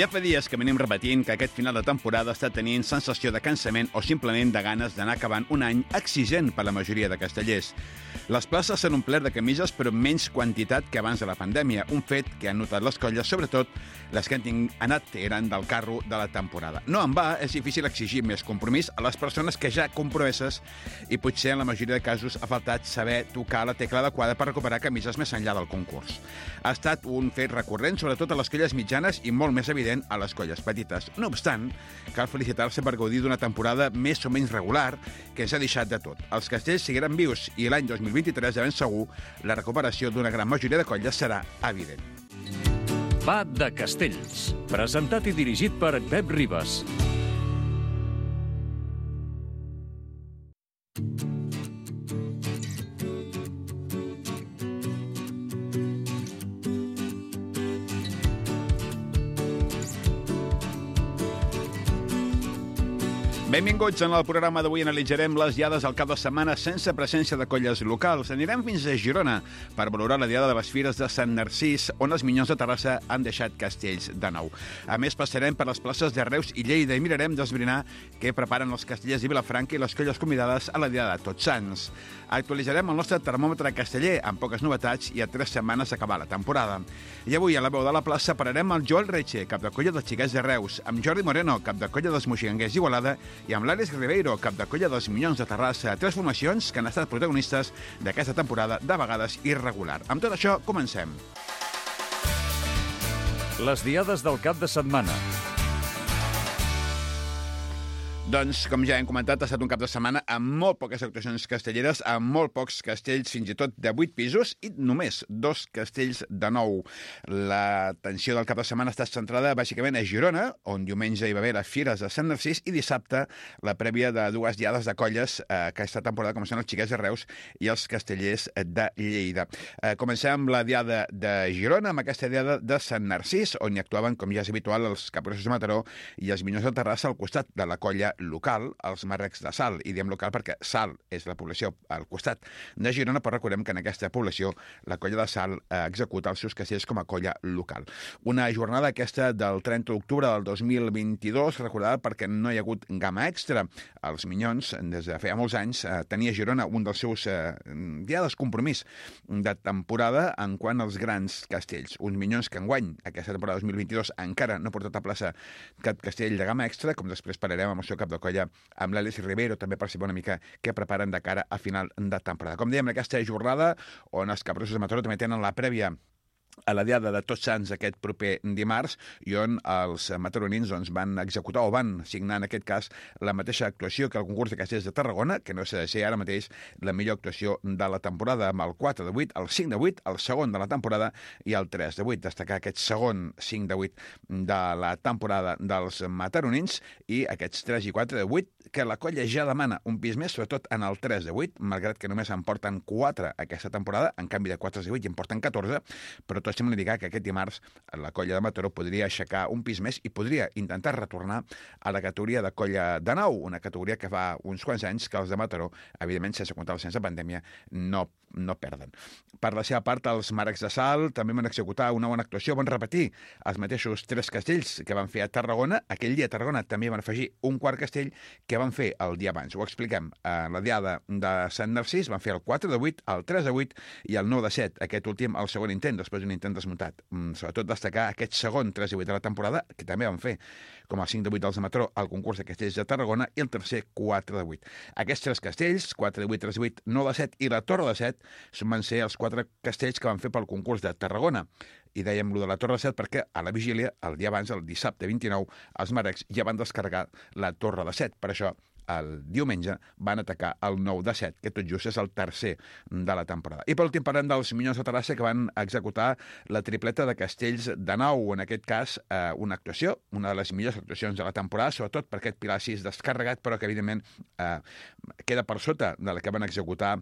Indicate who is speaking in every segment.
Speaker 1: Ja fa dies que venim repetint que aquest final de temporada està tenint sensació de cansament o simplement de ganes d'anar acabant un any exigent per la majoria de castellers. Les places s'han omplert de camises, però menys quantitat que abans de la pandèmia, un fet que han notat les colles, sobretot les que han anat eren del carro de la temporada. No en va, és difícil exigir més compromís a les persones que ja compromeses i potser en la majoria de casos ha faltat saber tocar la tecla adequada per recuperar camises més enllà del concurs. Ha estat un fet recurrent, sobretot a les colles mitjanes i molt més evident a les colles petites. No obstant, cal felicitar-se per gaudir d'una temporada més o menys regular que ens ha deixat de tot. Els castells seguiran vius i l'any 2023, de ben segur, la recuperació d'una gran majoria de colles serà evident.
Speaker 2: Va de Castells, presentat i dirigit per Pep Ribas.
Speaker 1: Benvinguts. En el programa d'avui analitzarem les diades al cap de setmana sense presència de colles locals. Anirem fins a Girona per valorar la diada de les Fires de Sant Narcís, on els Minyons de Terrassa han deixat castells de nou. A més, passarem per les places de Reus i Lleida i mirarem d'esbrinar què preparen els castellers de Vilafranca i les colles convidades a la diada de Tots Sants. Actualitzarem el nostre termòmetre casteller amb poques novetats i a 3 setmanes acabar la temporada. I avui, a la veu de la plaça, pararem amb Joel Reche, cap de colla dels Xiquets de Reus, amb Jordi Moreno, cap de colla dels Moixigangers d'Igualada, i amb l'Àlex Ribeiro, cap de colla dels Minyons de Terrassa, 3 formacions que han estat protagonistes d'aquesta temporada de vegades irregular. Amb tot això, comencem.
Speaker 2: Les diades del cap de setmana.
Speaker 1: Doncs, com ja hem comentat, ha estat un cap de setmana amb molt poques actuacions castelleres, amb molt pocs castells, fins i tot de 8 pisos, i només 2 castells de 9. L'atenció del cap de setmana està centrada bàsicament a Girona, on diumenge hi va haver les Fires de Sant Narcís, i dissabte la prèvia de 2 diades de colles aquesta temporada, com són els Xiquets de Reus i els Castellers de Lleida. Comencem amb la diada de Girona, amb aquesta diada de Sant Narcís, on hi actuaven, com ja és habitual, els Capgrossos de Mataró i els Minyons de Terrassa al costat de la colla local, els Marrecs de Salt, i diem local perquè Salt és la població al costat de Girona, però recordem que en aquesta població la colla de Salt executa els seus castells com a colla local. Una jornada aquesta del 30 d'octubre del 2022, recordada perquè no hi ha hagut gamma extra. Els Minyons, des de feia molts anys, tenia Girona un dels seus diades compromís de temporada en quant als grans castells. Uns Minyons que enguany, aquesta temporada 2022, encara no ha portat a plaça cap castell de gamma extra, com després parlarem amb el seu cap de colla, amb l'Àlex Ribeiro, també per saber una mica què preparen de cara a final de temporada. Com dèiem, aquesta jornada on els Capgrossos de Mataró també tenen la prèvia a la diada de Tots Sants aquest proper dimarts, i on els mataronins van executar o van signar en aquest cas la mateixa actuació que el concurs de castells de Tarragona, que no s'ha de ser ara mateix la millor actuació de la temporada, amb el 4 de 8, el 5 de 8, el segon de la temporada i el 3 de 8. Destacar aquest segon 5 de 8 de la temporada dels mataronins i aquests 3 i 4 de 8 que la colla ja demana un pis més, sobretot en el 3 de 8, malgrat que només en porten 4 aquesta temporada, en canvi de 4 de 8 i en porten 14, però tot sembla indicar que aquest dimarts la colla de Mataró podria aixecar un pis més i podria intentar retornar a la categoria de colla de 9, una categoria que fa uns quants anys que els de Mataró, evidentment sense comptar el sense pandèmia, no perden. Per la seva part, els Marrecs de Salt també van executar una bona actuació, van repetir els mateixos 3 castells que van fer a Tarragona. Aquell dia a Tarragona també van afegir un quart castell que van fer el dia abans. Ho expliquem. A la diada de Sant Narcís van fer el 4 de 8, el 3 de 8 i el 9 de 7. Aquest últim, el segon intent, després d'un intent desmuntat. Sobretot destacar aquest segon 3 de 8 de la temporada, que també van fer, com el 5 de 8 dels de Mataró, el concurs de castells de Tarragona, i el tercer 4 de 8. Aquests 3 castells, 4 de 8, 3 de 8, 9 de 7 i la Torre de 7, van ser els 4 castells que van fer pel concurs de Tarragona. I dèiem lo de la Torre de 7 perquè a la vigília, el dia abans, el dissabte 29, els Marrecs ja van descarregar la Torre de 7. Per això, el diumenge van atacar el 9 de 7, que tot just és el tercer de la temporada. I per últim parlem dels Minyons de Terrassa, que van executar la tripleta de castells de 9, en aquest cas una actuació, una de les millors actuacions de la temporada, sobretot per aquest Pilar 6 descarregat, però que evidentment queda per sota de la que van executar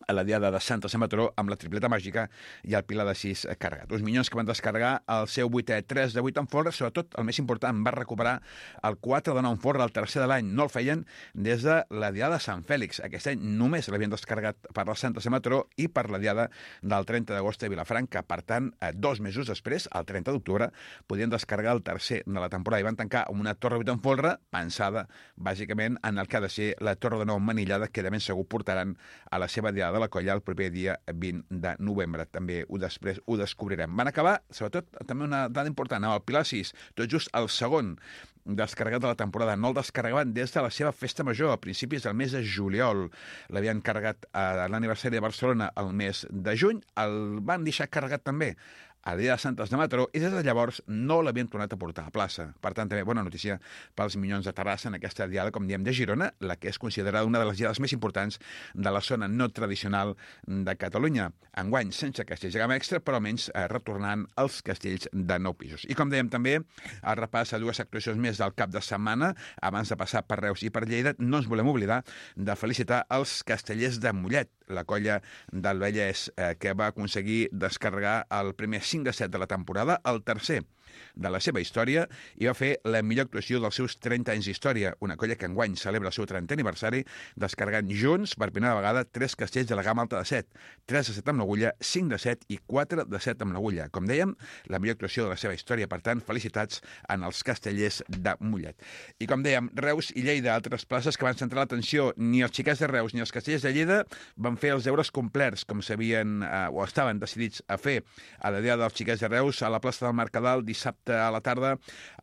Speaker 1: a la diada de Santa Mataró amb la tripleta màgica i el pilar de 6 carregat. Uns minyons que van descarregar el seu 8è 3 de 8 en folre, sobretot el més important, va recuperar el 4 de 9 en folre, el tercer de l'any. No el feien des de la diada de Sant Fèlix. Aquest any només l'havien descarregat per la Santa Mataró i per la diada del 30 d'agost a Vilafranca. Per tant, 2 mesos després, el 30 d'octubre, podien descarregar el tercer de la temporada i van tancar amb una torre 8 en folre pensada, bàsicament, en el que ha de ser la torre de 9 manillada que de ben segur portaran a la seva diada de la colla el proper dia 20 de novembre. També després ho descobrirem. Van acabar, sobretot, també una dada important, amb el pilar 6, tot just el segon descarregat de la temporada. No el descarregaven des de la seva festa major, a principis del mes de juliol. L'havien carregat a l'aniversari de Barcelona el mes de juny. El van deixar carregat també a la dia de Santes de Mataró i des de llavors no l'havien tornat a portar a plaça. Per tant, també bona notícia pels Minyons de Terrassa en aquesta diada, com diem, de Girona, la que és considerada una de les diades més importants de la zona no tradicional de Catalunya. Enguany, sense castells de gamma extra, però almenys retornant als castells de 9 pisos. I com dèiem també, el repàs a 2 actuacions més del cap de setmana, abans de passar per Reus i per Lleida, no ens volem oblidar de felicitar els castellers de Mollet, la colla del Vallès, que va aconseguir descarregar el primer 5 de 7 de la temporada, el tercer de la seva història, i va fer la millor actuació dels seus 30 anys d'història, una colla que enguany celebra el seu 30è aniversari, descarregant junts per primera vegada 3 castells de la gamma alta de 7, 3 de 7 amb l'agulla, 5 de 7 i 4 de 7 amb l'agulla. Com dèiem, la millor actuació de la seva història, per tant, felicitats en els castellers de Mollet. I com dèiem, Reus i Lleida, altres places que van centrar l'atenció. Ni els xiquets de Reus ni els castellers de Lleida van fer els deures complerts, com s'havien o estaven decidits a fer a la diada dels xiquets de Reus a la plaça del Mercadal dissabte a la tarda.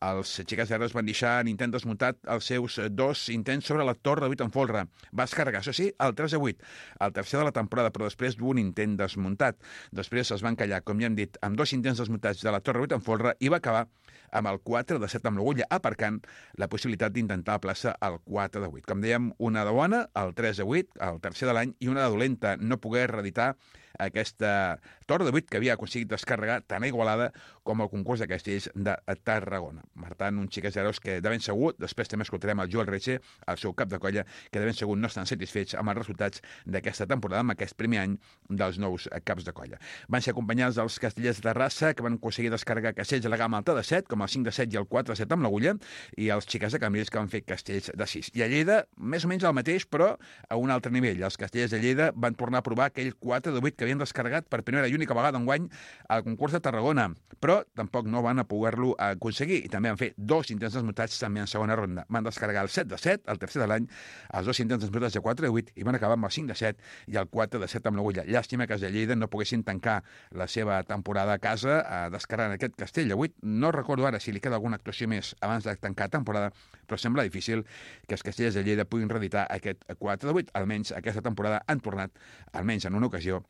Speaker 1: Els xiquets de Reus van deixar en intent desmuntat els seus 2 intents sobre la torre de 8 en folre. Va descarregar, això sí, el 3 de 8, el tercer de la temporada, però després d'un intent desmuntat. Després es van callar, com ja hem dit, amb 2 intents desmuntats de la torre de 8 en folre i va acabar amb el 4 de 7 amb l'agulla, aparcant la possibilitat d'intentar a plaça el 4 de 8. Com dèiem, una de bona, el 3 de 8, el tercer de l'any, i una de dolenta, no poder reeditar aquesta torre de 8 que havia aconseguit descarregar tant a Igualada com al concurs de castells de Tarragona. Per tant, uns xiquets herois que de ben segur, després també escoltarem el Joel Reche, el seu cap de colla, que de ben segur no estan satisfets amb els resultats d'aquesta temporada, amb aquest primer any dels nous caps de colla. Van ser acompanyats dels castellers de Terrassa, que van aconseguir descarregar castells de la gamma alta de 7, com el 5 de 7 i el 4 de 7 amb l'agulla, i els xiquets de Cambrils, que van fer castells de 6. I a Lleida, més o menys el mateix, però a un altre nivell. Els castellers de Lleida van tornar a provar aquell 4 de 8 que havien descarregat per primera i única vegada enguany al concurs de Tarragona, però tampoc no van a poder-lo aconseguir, i també van fer 2 intents desmuntats també en segona ronda. Van descarregar el 7 de 7, el tercer de l'any, els 2 intents desmuntats de 4 de 8, i van acabar amb el 5 de 7 i el 4 de 7 amb l'agulla. Llàstima que els de Lleida no poguessin tancar la seva temporada a casa descarregant aquest castell de 8. No recordo ara si li queda alguna actuació més abans de tancar temporada, però sembla difícil que els castellers de Lleida puguin reeditar aquest 4 de 8. Almenys aquesta temporada han tornat, almenys en una ocasió,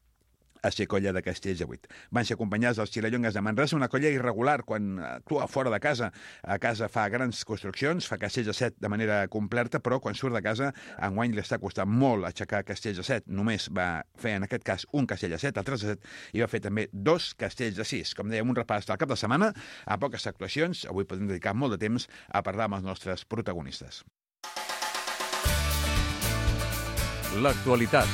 Speaker 1: a ser colla de castells de 8. Van ser acompanyats dels Xilallongues de Manresa, una colla irregular quan actua fora de casa. A casa fa grans construccions, fa castells de 7 de manera completa, però quan surt de casa, enguany li està costant molt aixecar castells de 7. Només va fer, en aquest cas, un castell de 7, el 3 de 7, i va fer també 2 castells de 6. Com dèiem, un repàs del cap de setmana, a poques actuacions. Avui podem dedicar molt de temps a parlar amb els nostres protagonistes.
Speaker 2: L'actualitat.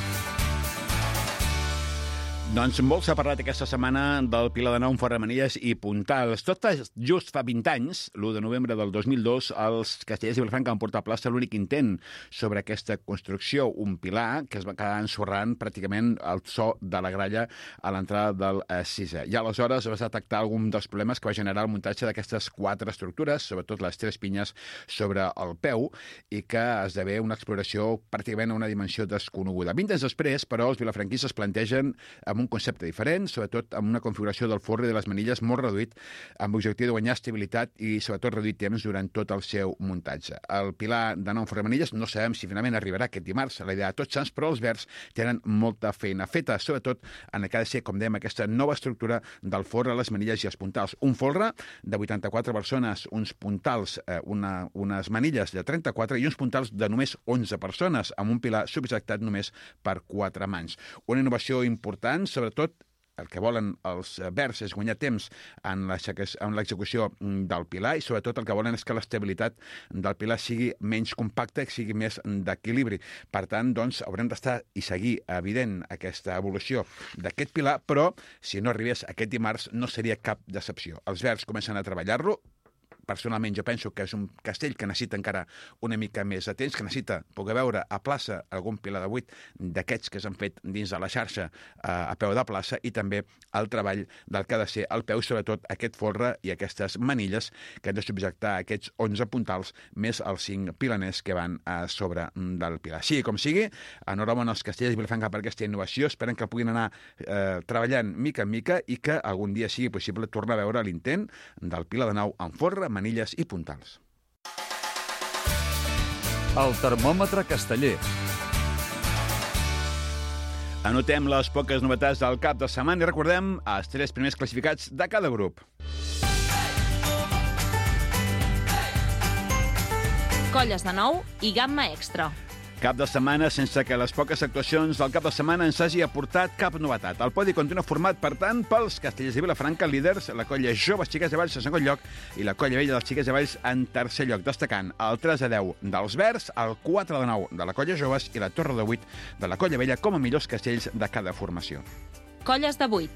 Speaker 1: Doncs molt s'ha parlat aquesta setmana del Pilar de Nou, Ferramanilles i Puntals. Tot just fa 20 anys, l'1 de novembre del 2002, els castellers de Vilafranca van portar a plaça l'únic intent sobre aquesta construcció, un pilar que es va quedar ensorrant pràcticament el so de la gralla a l'entrada del 6è. I aleshores es va detectar algun dels problemes que va generar el muntatge d'aquestes 4 estructures, sobretot les 3 pinyes sobre el peu, i que esdevé una exploració pràcticament a una dimensió desconeguda. 20 anys després, però, els vilafranquistes plantegen amb un concepte diferent, sobretot amb una configuració del forre i de les manilles molt reduït, amb l'objectiu de guanyar estabilitat i sobretot reduir temps durant tot el seu muntatge. El Pilar de Nou Ferramanilles no sabem si finalment arribarà aquest dimarts a la idea de Tots Sants, però els verds tenen molta feina feta, sobretot en el que ha de ser, com dèiem, aquesta nova estructura del forre, les manilles i els puntals. Un folre de 84 persones, uns puntals, unes manilles de 34 i uns puntals de només 11 persones, amb un pilar subjectat només per 4 mans. Una innovació important, sobretot el que volen els verds és guanyar temps en l'execució del pilar i sobretot el que volen és que l'estabilitat del pilar sigui menys compacta i sigui més d'equilibri. Per tant, doncs, haurem d'estar i seguir evident aquesta evolució d'aquest pilar, però si no arribés aquest dimarts no seria cap decepció. Els verds comencen a treballar-lo. Personalment, jo penso que és un castell que necessita encara una mica més de temps, que necessita poder veure a plaça algun pilar de 8 d'aquests que s'han fet dins de la xarxa a peu de plaça i també el treball del que ha de ser el peu, sobretot aquest folre i aquestes manilles que han de subjectar aquests 11 puntals més els 5 pilaners que van a sobre del pilar. Sigui com sigui, enhorabona als castellers de Vilafranca per aquesta innovació, esperen que puguin anar treballant mica en mica i que algun dia sigui possible tornar a veure l'intent del pilar de nou en folre, manilles i puntals.
Speaker 2: El termòmetre casteller.
Speaker 1: Anotem les poques novetats del cap de setmana i recordem els 3 primers classificats de cada grup.
Speaker 3: Colles de nou i gamma extra.
Speaker 1: Cap de setmana sense que les poques actuacions del cap de setmana ens hagi aportat cap novetat. El podi continua format, per tant, pels castellers de Vilafranca, líders, la colla Joves Xiquets de Valls en segon lloc i la colla vella dels Xiquets de Valls en tercer lloc, destacant el 3-10 dels verds, el 4-9 de la colla Joves i la torre de 8 de la colla vella com a millors castells de cada formació.
Speaker 3: Colles de 8.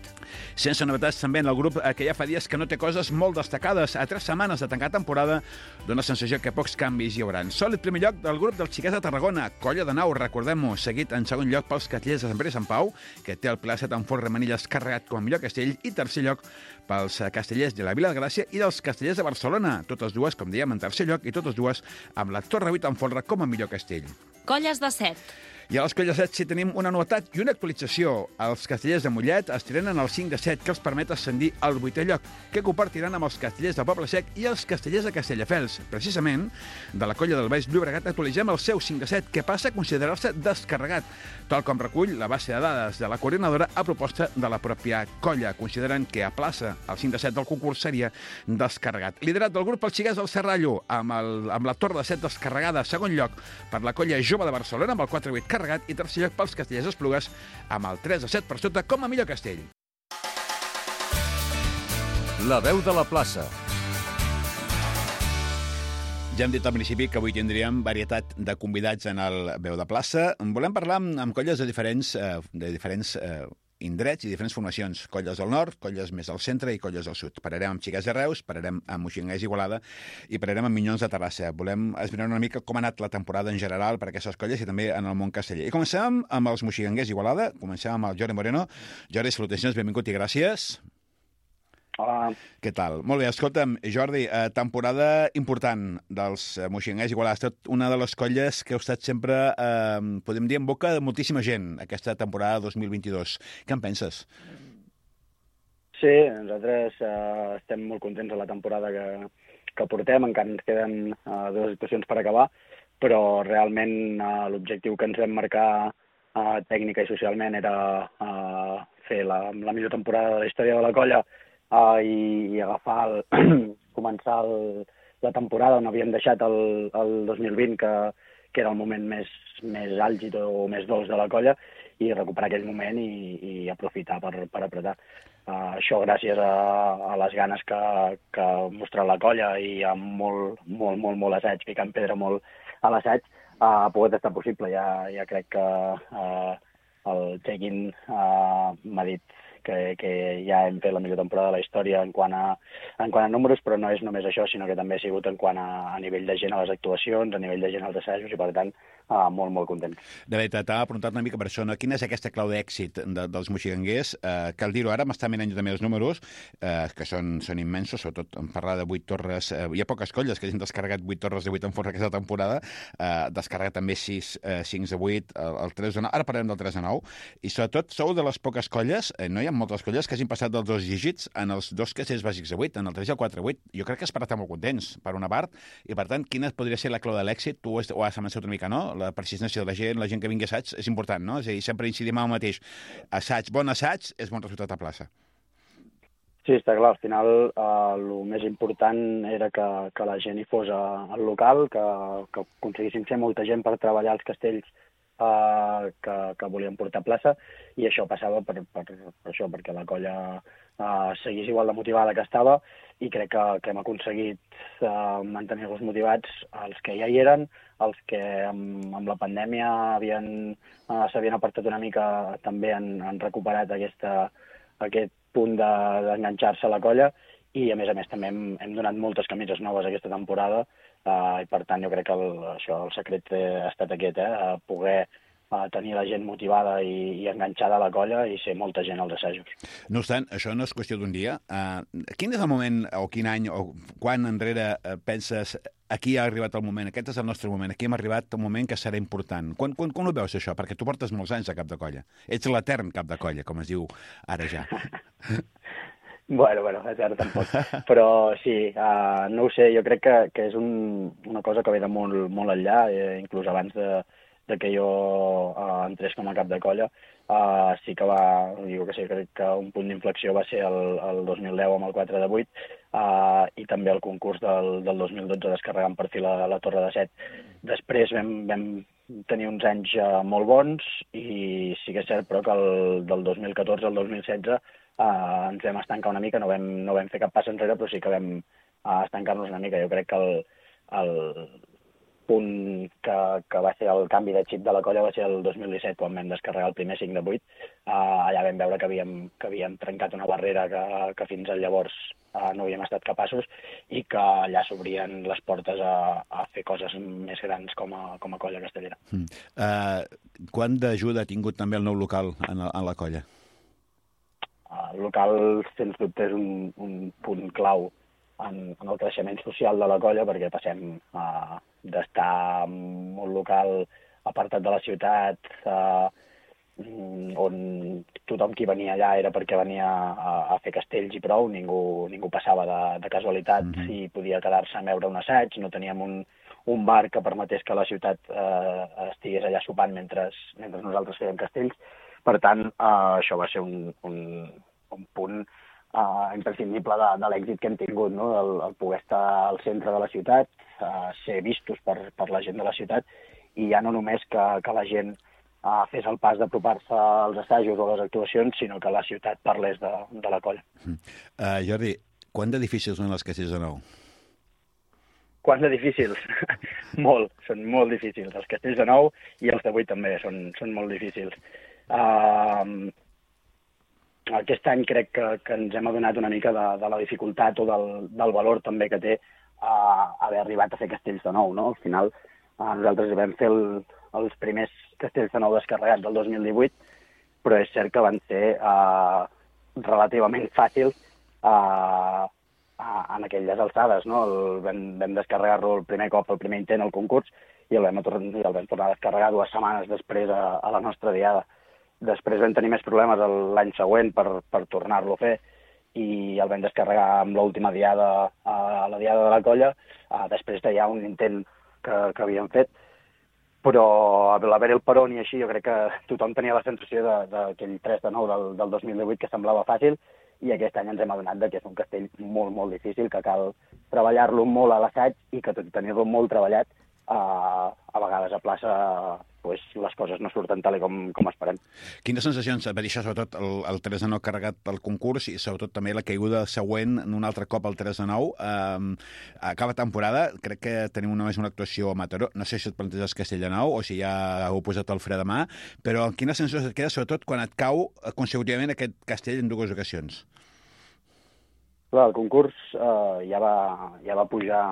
Speaker 1: Sense novetats també en el grup que ja fa dies que no té coses molt destacades. A 3 setmanes de tancar temporada dona sensació que pocs canvis hi haurà. Sòlid primer lloc del grup dels Xiquets de Tarragona, colla de nau, recordem-ho, seguit en segon lloc pels castellers de Sant Pere i Sant Pau, que té el Pilar 7 en folre manilles carregat com a millor castell, i tercer lloc pels castellers de la Vila de Gràcia i dels castellers de Barcelona, totes dues, com dèiem, en tercer lloc i totes dues amb la Torre 8 en folre com a millor castell.
Speaker 3: Colles de 7.
Speaker 1: I a les colles 7 sí tenim una novetat i una actualització. Els castellers de Mollet estrenen el 5 de 7 que els permet ascendir al 8è lloc, que compartiran amb els castellers de Poble Sec i els castellers de Castelldefels. Precisament, de la colla del Baix Llobregat actualitzem el seu 5 de 7, que passa a considerar-se descarregat, tal com recull la base de dades de la coordinadora a proposta de la pròpia colla, considerant que a plaça el 5 de 7 del concurs seria descarregat. Liderat del grup els Xiquets del Serrallo, amb la torre de 7 descarregada, segon lloc per la colla Jove de Barcelona, amb el 4-8 carregat, i tercer lloc pels castellers d'Esplugues, amb el 3-7 per sota com a millor castell.
Speaker 2: La veu de la plaça.
Speaker 1: Ja hem dit al principi que avui tindríem varietat de convidats en el Veu de Plaça. Volem parlar amb colles de diferents indrets i diferents formacions. Colles del nord, colles més al centre i colles del sud. Pararem amb Xiquets de Reus, pararem amb Moixigangers i Igualada i pararem amb Minyons de Terrassa. Volem esbrinar una mica com ha anat la temporada en general per aquestes colles i també en el món casteller. I comencem amb els Moixigangers i Igualada. Comencem amb el Jordi Moreno. Jordi, salutacions, benvingut i gràcies.
Speaker 4: Hola.
Speaker 1: Què tal? Molt bé, escolta'm, Jordi, temporada important dels Moixigangers i Igualada. Ha estat una de les colles que heu estat sempre, podem dir, en boca de moltíssima gent aquesta temporada 2022. Què en penses?
Speaker 4: Sí, nosaltres estem molt contents de la temporada que portem, encara ens queden 2 actuacions per acabar, però realment l'objectiu que ens vam marcar tècnica i socialment era fer la millor temporada de la història de la colla i agafar començar la temporada on havíem deixat el 2020, que era el moment més àlgid o més dolç de la colla, i recuperar aquell moment i aprofitar per apretar. Això gràcies a les ganes que ha mostrat la colla i amb molt assaig, picant pedra molt a l'assaig, ha pogut estar possible. Ja crec que el check-in m'ha dit que ja hem fet la millor temporada de la història en quant a números, però no és només això, sinó que també ha sigut en quant a nivell de gent a les actuacions, a nivell de gent als assajos, i per tant molt content.
Speaker 1: De veritat, t'ha preguntat una mica per això, no? Quina és aquesta clau d'èxit dels moixigangers? Cal dir-ho ara, m'està mirant jo també els números, que són immensos, sobretot en parlar de 8 torres. Hi ha poques colles que hagin descarregat 8 torres de 8 en folre aquesta temporada, descarregat també 6 de 8, el 3 de 9, ara parlarem del 3 de 9, i sobretot sou de les poques colles, no hi ha moltes colles que hagin passat dels 2 dígits en els 2 castells bàsics de 8, en el 3 i el 4 8. Jo crec que es per estar molt contents, per una part, i per tant, quina podria ser la clau de l'èxit? Tu ho has avançat una mica, no? La persistència de la gent que vingui a assaig és important, no? És a dir, sempre incidim en el mateix. Bon assaig és bon resultat a plaça.
Speaker 4: Sí, està clar. Al final, el més important era que la gent hi fos al local, que aconseguíssim ser molta gent per treballar els castells que volíem portar a plaça, i això passava per això, perquè la colla seguís igual de motivada que estava, i crec que hem aconseguit mantenir-los motivats, els que ja hi eren, els que amb la pandèmia s'havien apartat una mica, també han recuperat aquest punt d'enganxar-se a la colla, i a més també hem donat moltes camises noves aquesta temporada, i per tant jo crec que el secret ha estat aquest, poder tenir la gent motivada i enganxada a la colla i ser molta gent als assajos.
Speaker 1: No obstant, això no és qüestió d'un dia. Quin és el moment, o quin any, o quan enrere penses aquí ha arribat el moment, aquest és el nostre moment, aquí hem arribat al moment que serà important? Quan ho veus, això? Perquè tu portes molts anys a cap de colla. Ets l'etern cap de colla, com es diu ara ja.
Speaker 4: Bueno, etern tampoc. Però sí, no ho sé, jo crec que és una cosa que ve de molt enllà, inclús abans de que jo entrés com a cap de colla. Sí que crec que un punt d'inflexió va ser el 2010 amb el 4 de 8, i també el concurs del 2012 descarregant per fi la Torre de 7. Després vam tenir uns anys molt bons, i sí que és cert, però que del 2014 al 2016 ens vam estancar una mica, no vam fer cap pas enrere, però sí que vam estancar-nos una mica. Jo crec que el punt que va ser el canvi de xip de la colla va ser el 2017, quan vam descarregar el primer 5 de 8. Allà vam veure que havíem trencat una barrera que fins llavors no havíem estat capaços, i que allà s'obrien les portes a fer coses més grans com a colla castellera.
Speaker 1: Quant d'ajuda ha tingut també el nou local en la colla?
Speaker 4: El local, sens dubte, és un punt clau en el creixement social de la colla, perquè passem d'estar en un local apartat de la ciutat, on tothom qui venia allà era perquè venia a fer castells i prou, ningú passava de casualitat i podia quedar-se a veure un assaig, no teníem un bar que permetés que la ciutat estigués allà sopant mentre nosaltres fèiem castells. Per tant, això va ser un punt imprescindible de l'èxit que hem tingut, no? El poder estar al centre de la ciutat, ser vistos per la gent de la ciutat, i ja no només que la gent fes el pas d'apropar-se als assajos o a les actuacions, sinó que la ciutat parlés de la colla.
Speaker 1: Jordi, quant de difícils són els castells de nou?
Speaker 4: Quants de difícils? Molt, són molt difícils. Els castells de nou i els de 8 també són molt difícils. Aquest any crec que ens hem adonat una mica de la dificultat o del valor també que té haver arribat a fer castells de nou, no? Al final, nosaltres vam fer els primers castells de nou descarregats del 2018, però és cert que van ser relativament fàcils en aquelles alçades, no? Vam descarregar-lo el primer cop, el primer intent al concurs, i el vam tornar a descarregar 2 setmanes després a la nostra diada. Després vam tenir més problemes l'any següent per tornar-lo a fer, i el vam descarregar amb l'última diada, la diada de la colla, després de ja un intent que havíem fet. Però a l'haver el peron i així, jo crec que tothom tenia la sensació d'aquell 3 de 9 del 2018 que semblava fàcil, i aquest any ens hem adonat que és un castell molt, molt difícil, que cal treballar-lo molt a l'assaig, i que tot i tenir-lo molt treballat, a vegades a plaça les coses no surten tal com esperem. Quines
Speaker 1: sensacions va deixar sobretot el 3 de 9 carregat al concurs, i sobretot també la caiguda següent un altre cop al 3 de 9? Acaba temporada, crec que tenim només una actuació a Mataró, no sé si et planteges Castell de Nou o si ja heu posat el fre de mà, però quina sensació et queda sobretot quan et cau consecutivament aquest castell en 2 ocasions?
Speaker 4: Clar, el concurs ja va pujar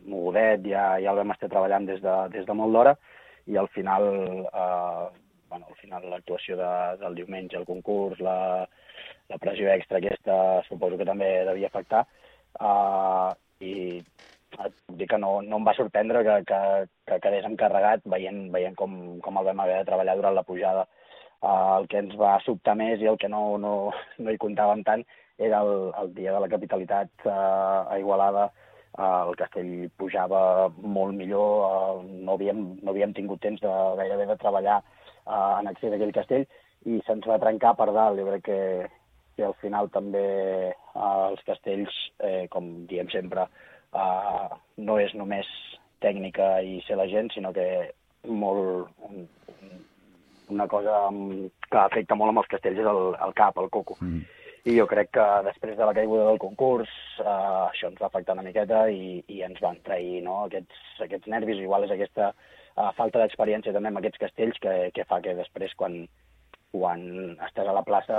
Speaker 4: mogudet, ja el vam estar treballant des de molt d'hora, i al final l'actuació del diumenge, el concurs, la pressió extra aquesta, suposo que també devia afectar, i et puc dir que no em va sorprendre que quedés encarregat veient com el vam haver de treballar durant la pujada. El que ens va sobtar més i el que no hi comptàvem tant era el dia de la capitalitat a Igualada. El castell pujava molt millor, no havíem tingut temps gairebé de treballar en accés a aquell castell, i se'ns va trencar per dalt. Jo crec que al final també els castells, com diem sempre, no és només tècnica i ser la gent, sinó que una cosa que afecta molt amb els castells és el cap, el coco. I jo crec que després de la caiguda del concurs això ens va afectar una miqueta i ens van trair, no? Aquests nervis. Igual és aquesta falta d'experiència també amb aquests castells que fa que després, quan estàs a la plaça,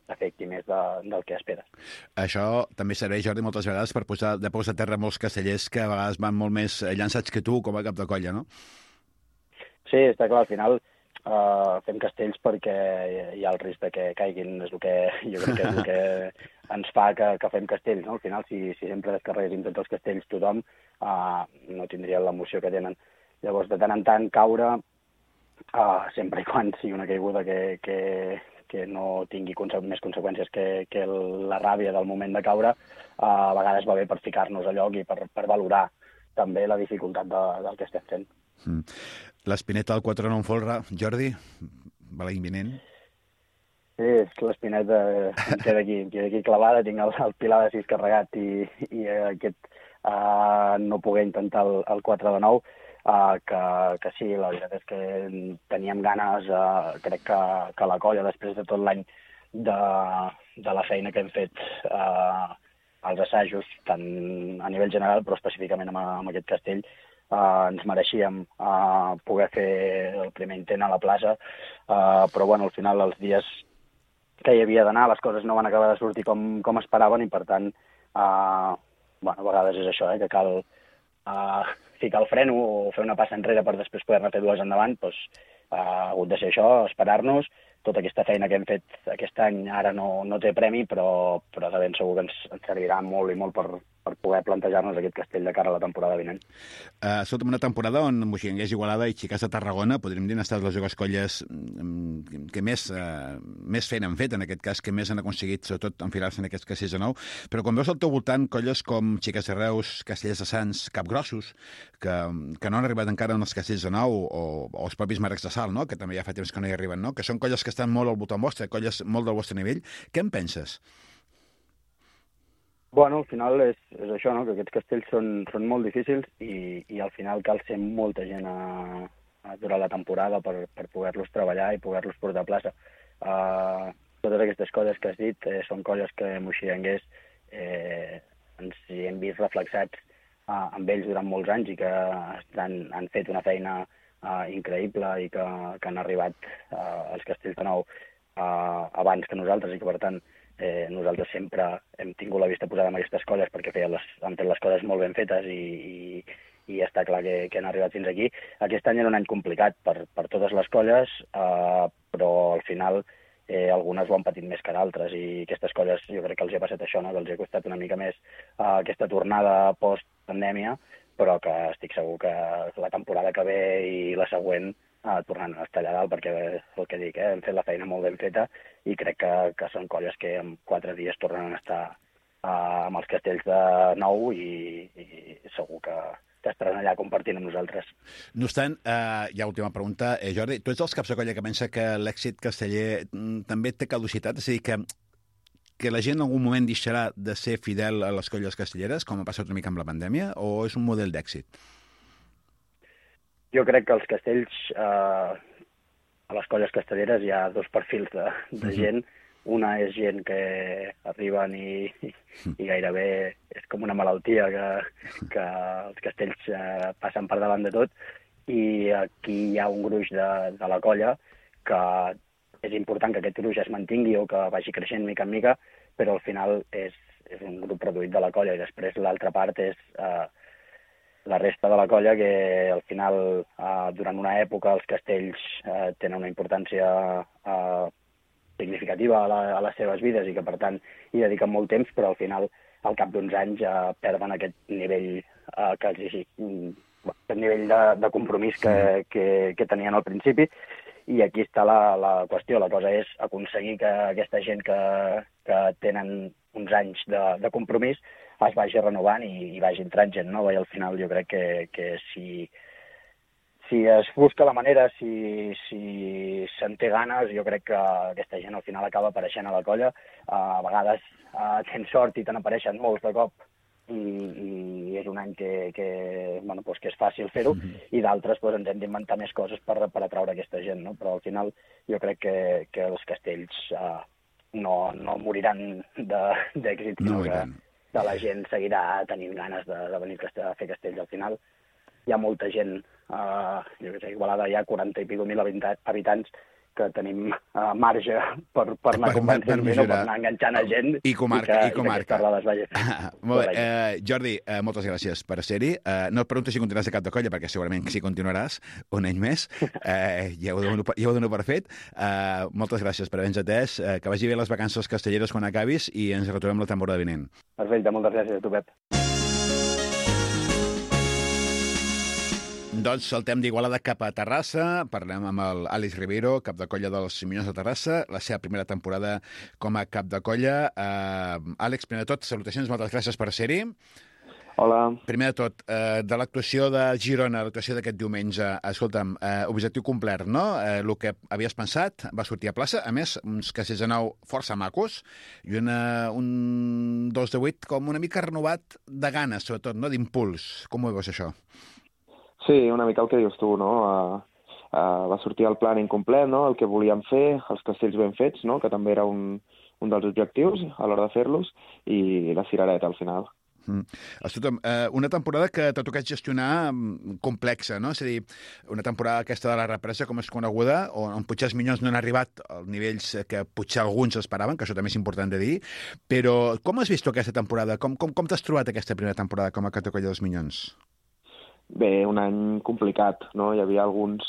Speaker 4: afecti més del que esperes.
Speaker 1: Això també serveix, Jordi, moltes vegades per posar de peus a terra molts castellers que a vegades van molt més llançats que tu com a cap de colla, no?
Speaker 4: Sí, està clar, al final fem castells perquè hi ha el risc de que caiguin, és el que jo crec que és el que ens fa que fem castells, no? Al final, si sempre descarreguéssim tots els castells tothom, no tindrien l'emoció que tenen. Llavors, de tant en tant, caure, sempre i quan sigui una caiguda que no tingui més conseqüències que la ràbia del moment de caure, a vegades va bé per ficar-nos a lloc i per valorar també la dificultat del que estem fent.
Speaker 1: L'espineta del 4-9 folre, Jordi, va la imminent?
Speaker 4: Sí, l'espineta em queda aquí clavada, tinc el pilar de 6 carregat i aquest no poder intentar el 4-9, que sí, la veritat és que teníem ganes, crec que la colla, després de tot l'any de la feina que hem fet als assajos, tant a nivell general, però específicament amb aquest castell, ens mereixíem poder fer el primer intent a la plaça, però bueno, al final els dies que hi havia d'anar les coses no van acabar de sortir com esperaven i per tant, a vegades és això, que cal ficar el freno o fer una passa enrere per després poder-ne fer dues endavant, doncs ha hagut de ser això, esperar-nos. Tota aquesta feina que hem fet aquest any ara no té premi, però de ben segur que ens servirà molt i molt per poder plantejar-nos aquest castell de cara a la temporada vinent.
Speaker 1: Sota una temporada on Moixiganders, Igualada i Xiques de Tarragona, podríem dir, han estat les dues colles que més feina han fet, en aquest cas, que més han aconseguit, sobretot, enfilar-se en aquests castells de nou. Però quan veus al teu voltant colles com Xiques de Reus, Castellers de Sants, Capgrossos, que no han arribat encara en els castells de nou, o els propis Marcs de Sal, no? Que també ja fa temps que no hi arriben, no? Que són colles que estan molt al voltant vostre, colles molt del vostre nivell. Què en penses?
Speaker 4: Bueno, al final és això, no? Que aquests castells són molt difícils i al final cal ser molta gent durant la temporada per poder-los treballar i poder-los portar a plaça. Totes aquestes coses que has dit són coses que Moixiganders ens hi hem vist reflexats amb ells durant molts anys i que han fet una feina increïble i que han arribat als castells de nou abans que nosaltres i que, per tant, nosaltres sempre hem tingut la vista posada en aquestes colles perquè han fet les coses molt ben fetes i està clar que han arribat fins aquí. Aquest any era un any complicat per totes les colles, però al final algunes ho han patit més que d'altres i aquestes colles jo crec que els ha passat això, no? Que els ha costat una mica més aquesta tornada post-pandèmia, però que estic segur que la temporada que ve i la següent tornant a estar allà dalt, perquè el que dic, hem fet la feina molt ben feta i crec que són colles que en 4 dies tornen a estar amb els castells de nou i segur que estaran allà compartint amb nosaltres.
Speaker 1: No obstant, ja última pregunta, Jordi, tu ets dels caps de colla que pensa que l'èxit casteller també té caducitat? És a dir, que la gent en algun moment deixarà de ser fidel a les colles castelleres, com ha passat una mica amb la pandèmia, o és un model d'èxit?
Speaker 4: Jo crec que els castells, a les colles castelleres hi ha dos perfils de gent. Una és gent que arriben i gairebé és com una malaltia que els castells passen per davant de tot, i aquí hi ha un gruix de la colla que és important que aquest gruix es mantingui o que vagi creixent mica en mica, però al final és un grup reduït de la colla i després l'altra part és la resta de la colla que al final durant una època els castells tenen una importància significativa a les seves vides i que per tant hi dediquen molt temps, però al final al cap d'uns anys perden aquest nivell aquest nivell de compromís que tenien al principi, i aquí està la qüestió. La cosa és aconseguir que aquesta gent que tenen uns anys de compromís es vagi renovant i vagi entrant gent nova, i al final jo crec que si es busca la manera, si se'n té ganes, jo crec que aquesta gent al final acaba apareixent a la colla. A vegades tens sort i te n'apareixen molts de cop i és un any que és fàcil fer-ho, i d'altres ens hem d'inventar més coses per atraure aquesta gent, no? Però al final jo crec que els castells no moriran d'èxit, sinó que la gent seguirà tenint ganes de venir a fer castells. Al final hi ha molta gent, jo què sé, Igualada hi ha 40 i escaig mil habitants, que tenim marge per anar convencent gent o per anar enganxant a gent
Speaker 1: i comarca.
Speaker 4: que aquesta roda es vagi fent.
Speaker 1: Molt bé. Jordi, moltes gràcies per ser-hi. No et pregunto si continuaràs de cap de colla, perquè segurament sí continuaràs un any més. Ja ho dono per fet. Moltes gràcies per haver-nos atès. Que vagi bé les vacances castelleres quan acabis i ens retrobem la temporada vinent.
Speaker 4: Perfecte, moltes gràcies a tu, Pep.
Speaker 1: Doncs saltem d'Igualada cap a Terrassa. Parlem amb l'Àlex Rivero, cap de colla dels Minyons de Terrassa, la seva primera temporada com a cap de colla. Àlex, primer de tot, salutacions, moltes gràcies per ser-hi.
Speaker 5: Hola.
Speaker 1: Primer de tot, de l'actuació de Girona, l'actuació d'aquest diumenge, escolta'm, objectiu complert, no? El que havies pensat va sortir a plaça, a més, uns castells de nou força macos, i un 2 de 8 com una mica renovat de ganes, sobretot, no? D'impuls. Com ho veus, això?
Speaker 5: Sí, una mica el que dius tu, no? Va sortir el plan incomplet, no? El que volíem fer, els castells ben fets, no? Que també era un dels objectius a l'hora de fer-los, i la cirereta al final.
Speaker 1: Escolta'm, una temporada que t'ha tocat gestionar complexa, no? És a dir, una temporada aquesta de la represa, com és coneguda, on potser els Minyons no han arribat als nivells que potser alguns esperaven, que això també és important de dir, però com has vist aquesta temporada? Com t'has trobat aquesta primera temporada com a cap de colla dels Minyons?
Speaker 5: Bé, un any complicat, no? Hi havia alguns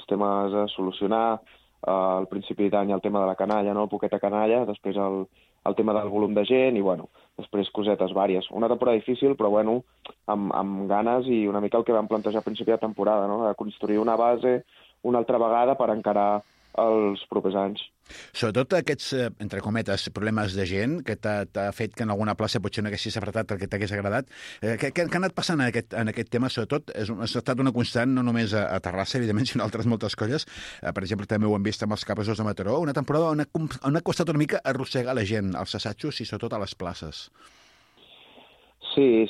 Speaker 5: temes a solucionar. Al principi d'any el tema de la canalla, no? El poqueta canalla, després el tema del volum de gent i, bueno, després cosetes vàries. Una temporada difícil, però, bueno, amb ganes i una mica el que vam plantejar a principi de temporada, no? De construir una base una altra vegada per encarar els propers anys.
Speaker 1: Sobretot aquests, entre cometes, problemes de gent que t'ha fet que en alguna plaça potser no haguessis apretat el que t'hagués agradat. Què ha anat passant en aquest tema? Sobretot, ha estat una constant no només a Terrassa, evidentment, sinó a altres moltes colles. Per exemple, també ho hem vist amb els Cabressos de Mataró. Una temporada on ha costat una mica arrossegar la gent, als assajos i sobretot a les places.
Speaker 5: Sí,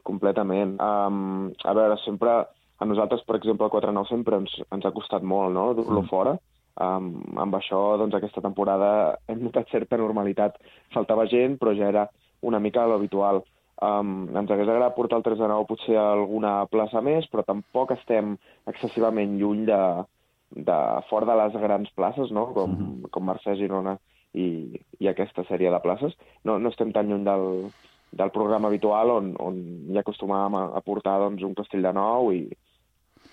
Speaker 5: completament. A veure, sempre, a nosaltres, per exemple, el 4-9 sempre ens ha costat molt, no?, dur-lo fora. Amb això, doncs, aquesta temporada hem notat certa normalitat. Faltava gent, però ja era una mica l'habitual. Ens hagués agradat portar el 3-9 potser a alguna plaça més, però tampoc estem excessivament lluny de fora de les grans places, no?, com Mercè, Girona i aquesta sèrie de places. No estem tan lluny del programa habitual on hi acostumàvem a portar, doncs, un castell de 9 i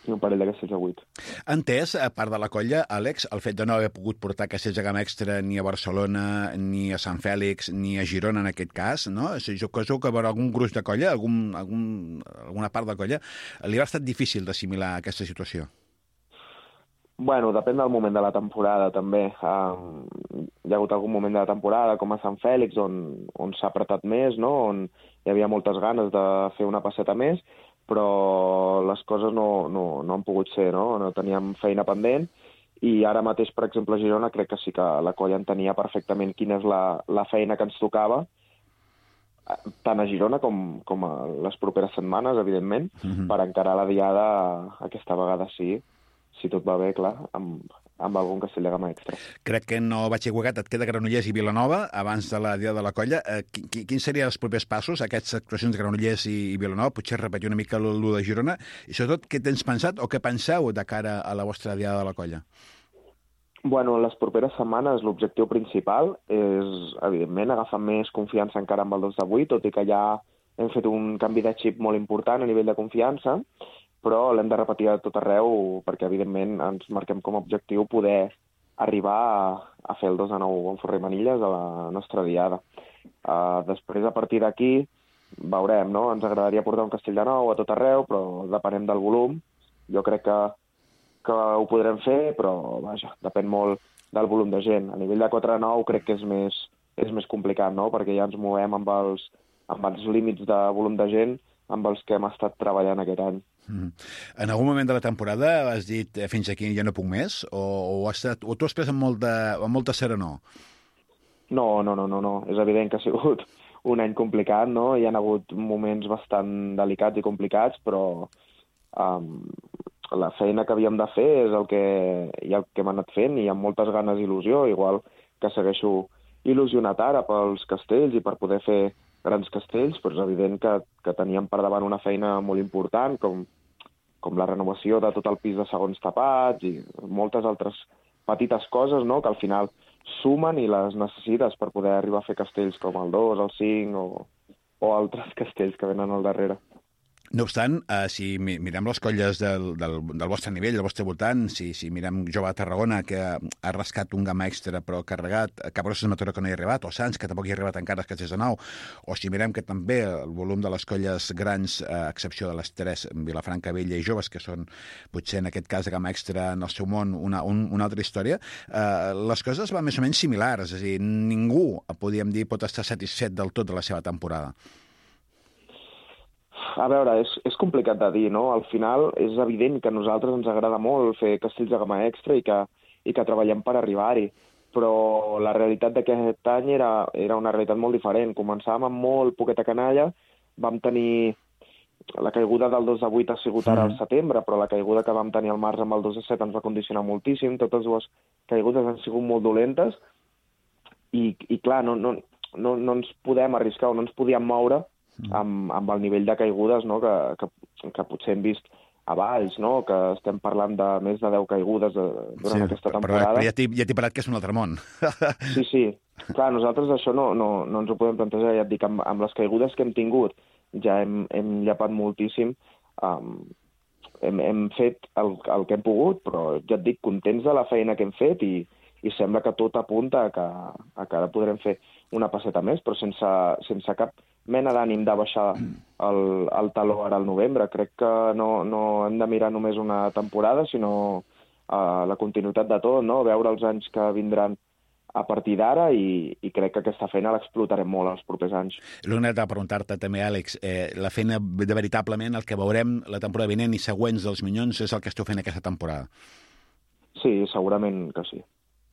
Speaker 5: un parell de castells de 8.
Speaker 1: Entès, a part de la colla, Àlex, el fet de no haver pogut portar castells de gamma extra ni a Barcelona, ni a Sant Fèlix, ni a Girona, en aquest cas, no? Jo penso que per algun gruix de colla, alguna part de colla, li ha estat difícil d'assimilar aquesta situació.
Speaker 5: Bueno, depèn del moment de la temporada, també. Hi ha hagut algun moment de la temporada, com a Sant Fèlix, on s'ha apretat més, no?, on hi havia moltes ganes de fer una passeta més, però les coses no han pogut ser, no? No teníem feina pendent, i ara mateix, per exemple, a Girona, crec que sí que la colla entenia perfectament quina és la feina que ens tocava, tant a Girona com a les properes setmanes, evidentment, per encarar la diada aquesta vegada sí, si tot va bé, clar, amb algun castell de gamma extra.
Speaker 1: Crec que no vaig equivocat, et queda Granollers i Vilanova abans de la dia de la colla. Quins serien els propers passos, aquestes actuacions de Granollers i Vilanova? Potser repetir una mica l'1 de Girona. I sobretot, què tens pensat o què penseu de cara a la vostra diada de la colla?
Speaker 5: Bueno, les properes setmanes l'objectiu principal és, evidentment, agafar més confiança encara amb el 2 de 8, tot i que ja hem fet un canvi de xip molt important a nivell de confiança, però l'hem de repetir a tot arreu perquè, evidentment, ens marquem com a objectiu poder arribar a fer el 2 de 9 en Forrer i Manilles a la nostra diada. Després, a partir d'aquí, veurem, no? Ens agradaria portar un castell de 9 a tot arreu, però depenem del volum. Jo crec que ho podrem fer, però, vaja, depèn molt del volum de gent. A nivell de 4-9 crec que és més complicat, no?, perquè ja ens movem amb els límits de volum de gent amb els que hem estat treballant aquest any.
Speaker 1: En algun moment de la temporada has dit fins aquí ja no puc més? O tu has pres amb molta serenor?
Speaker 5: No. És evident que ha sigut un any complicat, no? Hi ha hagut moments bastant delicats i complicats, però la feina que havíem de fer és el que hem anat fent i amb moltes ganes i il·lusió, igual que segueixo il·lusionat ara pels castells i per poder fer grans castells, però és evident que teníem per davant una feina molt important, com la renovació de tot el pis de segons tapats i moltes altres petites coses, no?, que al final sumen i les necessites per poder arribar a fer castells com el 2, el 5 o altres castells que venen al darrere.
Speaker 1: No obstant, si mirem les colles del vostre nivell, del vostre voltant, si mirem Jove de Tarragona, que ha rascat un gamma extra però carregat, Cabroses Mataró que no hi ha arribat, o Sants, que tampoc hi ha arribat encara, Castells de Nou, o si mirem que també el volum de les colles grans, a excepció de les 3, Vilafranca, Vella i Joves, que són potser en aquest cas de gamma extra en el seu món una altra història, les coses van més o menys similars, és a dir, ningú, podríem dir, pot estar satisfet del tot de la seva temporada.
Speaker 5: A veure, és complicat de dir, no? Al final és evident que a nosaltres ens agrada molt fer castells de gamma extra i que treballem per arribar-hi, però la realitat d'aquest any era una realitat molt diferent. Començàvem amb molt poqueta canalla, vam tenir... La caiguda del 2 de 8 ha sigut ara al setembre, però la caiguda que vam tenir al març amb el 2 de 7 ens va condicionar moltíssim. Totes dues caigudes han sigut molt dolentes i clar, no ens podem arriscar o no ens podíem moure amb el nivell de caigudes, no?, que potser hem vist a Valls, no?, que estem parlant de més de 10 caigudes durant aquesta temporada.
Speaker 1: Però ja t'he parat que és un altre món.
Speaker 5: Sí. Clar, nosaltres això no ens ho podem plantejar, ja et dic, amb les caigudes que hem tingut ja hem llapat moltíssim, hem fet el que hem pogut, però ja et dic, contents de la feina que hem fet i sembla que tot apunta a que ara podrem fer una passeta més, però sense cap mena d'ànim de baixar el taló ara al novembre. Crec que no hem de mirar només una temporada, sinó la continuïtat de tot, no? Veure els anys que vindran a partir d'ara i crec que aquesta feina l'explotarem molt els propers anys.
Speaker 1: L'únic de preguntar-te també, Àlex, la feina de veritablement, el que veurem la temporada vinent i següents dels Minyons és el que esteu fent aquesta temporada?
Speaker 5: Sí, segurament que sí.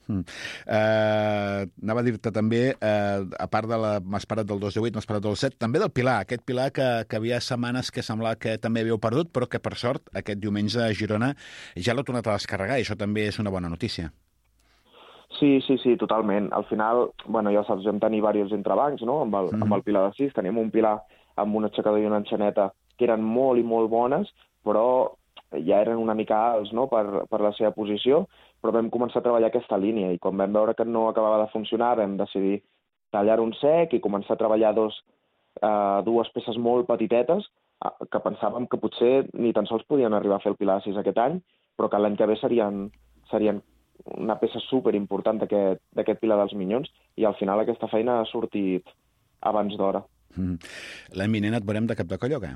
Speaker 1: Anava a dir-te també, a part de m'has parat del 2 de 8, m'has parat del 7, també del Pilar, aquest Pilar que havia setmanes que semblava que també havíeu perdut, però que per sort aquest diumenge a Girona ja l'ha tornat a descarregar i això també és una bona notícia.
Speaker 5: Sí, totalment. Al final, bueno, ja saps, vam tenir diversos entrebancs, no?, amb el Pilar de 6. Teníem un Pilar amb un aixecador i una enxaneta que eren molt i molt bones, però ja eren una mica alts, no?, per la seva posició, però vam començar a treballar aquesta línia i quan vam veure que no acabava de funcionar vam decidir tallar un sec i començar a treballar dues peces molt petitetes que pensàvem que potser ni tan sols podien arribar a fer el Pilar 6 aquest any, però que l'any que ve serien una peça superimportant d'aquest Pilar dels Minyons i al final aquesta feina ha sortit abans d'hora.
Speaker 1: L'any vinent et veurem de cap de colla o què?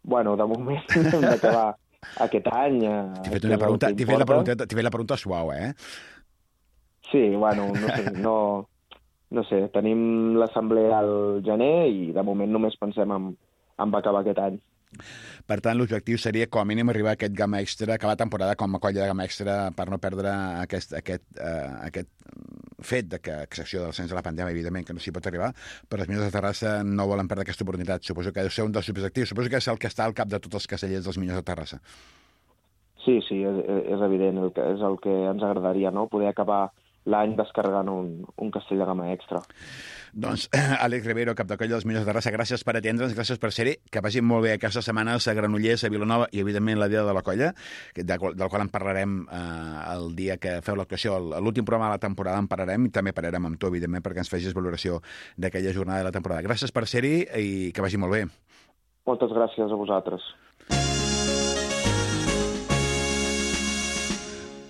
Speaker 5: Bueno, de moment hem d'acabar aquest any...
Speaker 1: T'he fet la pregunta suau, eh?
Speaker 5: Sí, bueno, no sé, tenim l'assemblea al gener i de moment només pensem en acabar aquest any.
Speaker 1: Per tant, l'objectiu seria com a mínim arribar a aquest gamma extra, acabar la temporada com a colla de gamma extra per no perdre aquest fet de que, a excepció del cens de la pandèmia, evidentment, que no s'hi pot arribar, però els Minyons de Terrassa no volen perdre aquesta oportunitat. Suposo que deu ser un dels objectius. Suposo que és el que està al cap de tots els castellers dels Minyons de Terrassa.
Speaker 5: Sí, és evident. És el que ens agradaria, no?, poder acabar l'any descarregant un castell de gamma extra.
Speaker 1: Doncs, Àlex Rivero, cap de colla dels Minyons de Terrassa, gràcies per atendre'ns, gràcies per ser-hi, que vagin molt bé aquestes setmanes a Granollers, a Vilanova i, evidentment, la Dia de la Colla, del qual en parlarem el dia que feu l'actuació. L'últim programa de la temporada en parlarem i també parlarem amb tu, evidentment, perquè ens facis valoració d'aquella jornada de la temporada. Gràcies per ser-hi i que vagi molt bé.
Speaker 5: Moltes gràcies a vosaltres.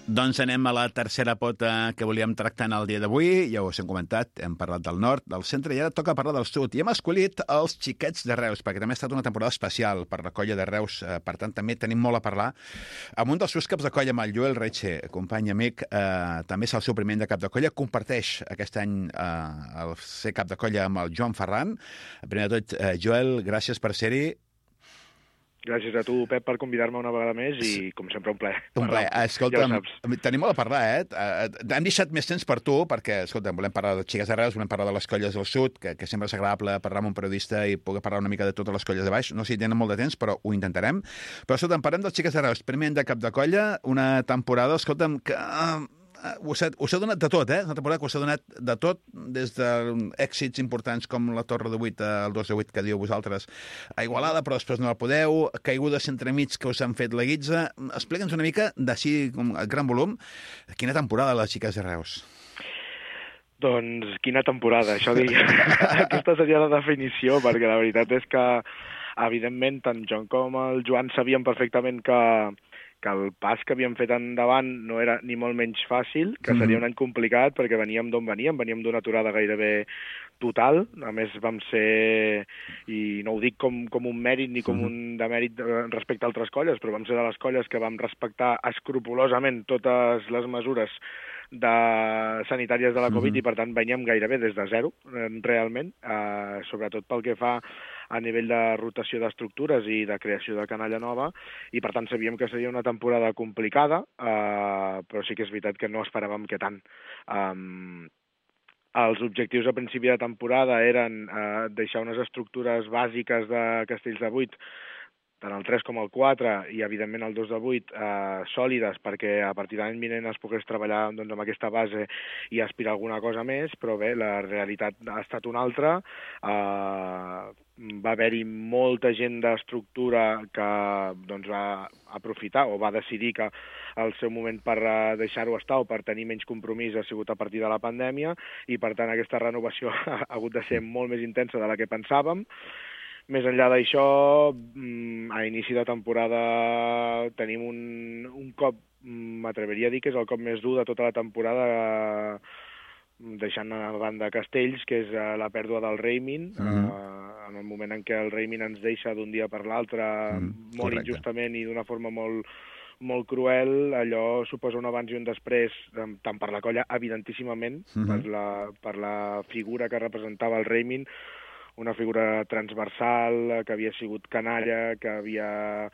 Speaker 1: Doncs anem a la tercera pota que volíem tractar en el dia d'avui. Ja ho hem comentat, hem parlat del nord, del centre, i ara toca parlar del sud. I hem escollit els Xiquets de Reus, perquè també ha estat una temporada especial per la colla de Reus. Per tant, també tenim molt a parlar amb un dels seus caps de colla, amb el Joel Reche, company amic, també és el seu primer any de cap de colla. Comparteix aquest any el ser cap de colla amb el Joan Ferran. Primer de tot, Joel, gràcies per ser-hi.
Speaker 6: Gràcies a tu, Pep, per convidar-me una vegada més i, com sempre, un plaer.
Speaker 1: Un plaer. Escolta'm,
Speaker 6: Ja
Speaker 1: tenim molt a parlar, hem deixat més temps per tu, perquè, escolta'm, volem parlar de Xiques de Reus, volem parlar de les colles del sud, que sempre és agradable parlar amb un periodista i poder parlar una mica de totes les colles de baix. No sé si tenen molt de temps, però ho intentarem. Però, escolta'm, parlem dels Xiques de Reus. Primer any de cap de colla, una temporada, escolta'm, que... us ha donat de tot, Una temporada que us ha donat de tot, des d'èxits importants com la Torre de 8 al 2 de 8 que diu vosaltres a Igualada, però després no la podeu, caigudes entremig que us han fet la guitza. Explica'ns una mica, d'així, com a gran volum, quina temporada les Xiques de Reus?
Speaker 6: Doncs quina temporada, això diria. Aquesta seria la definició, perquè la veritat és que, evidentment, tant John com el Joan sabien perfectament que el pas que havíem fet endavant no era ni molt menys fàcil, que seria un any complicat perquè veníem d'on veníem d'una aturada gairebé total. A més, vam ser, i no ho dic com un mèrit ni com un demèrit respecte a altres colles, però vam ser de les colles que vam respectar escrupolosament totes les mesures sanitàries de la Covid i, per tant, veníem gairebé des de zero, realment, sobretot pel que fa a nivell de rotació d'estructures i de creació de canalla nova, i per tant sabíem que seria una temporada complicada, però sí que és veritat que no esperàvem que tant. Els objectius a principi de temporada eren deixar unes estructures bàsiques de Castells de 8, tant el 3 com el 4 i, evidentment, el 2 de 8, sòlides, perquè a partir de l'any vinent es pogués treballar amb aquesta base i aspirar a alguna cosa més, però bé, la realitat ha estat una altra. Va haver-hi molta gent d'estructura que va aprofitar o va decidir que el seu moment per deixar-ho estar o per tenir menys compromís ha sigut a partir de la pandèmia, i, per tant, aquesta renovació ha hagut de ser molt més intensa de la que pensàvem. Més enllà d'això, a inici de temporada tenim un cop, m'atreveria a dir que és el cop més dur de tota la temporada, deixant a banda Castells, que és la pèrdua del Reimin, en el moment en què el Reimin ens deixa d'un dia per l'altre, molt injustament i d'una forma molt cruel. Allò suposa un abans i un després, tant per la colla, evidentíssimament, per la figura que representava el Reimin, una figura transversal, que havia sigut canalla, que havia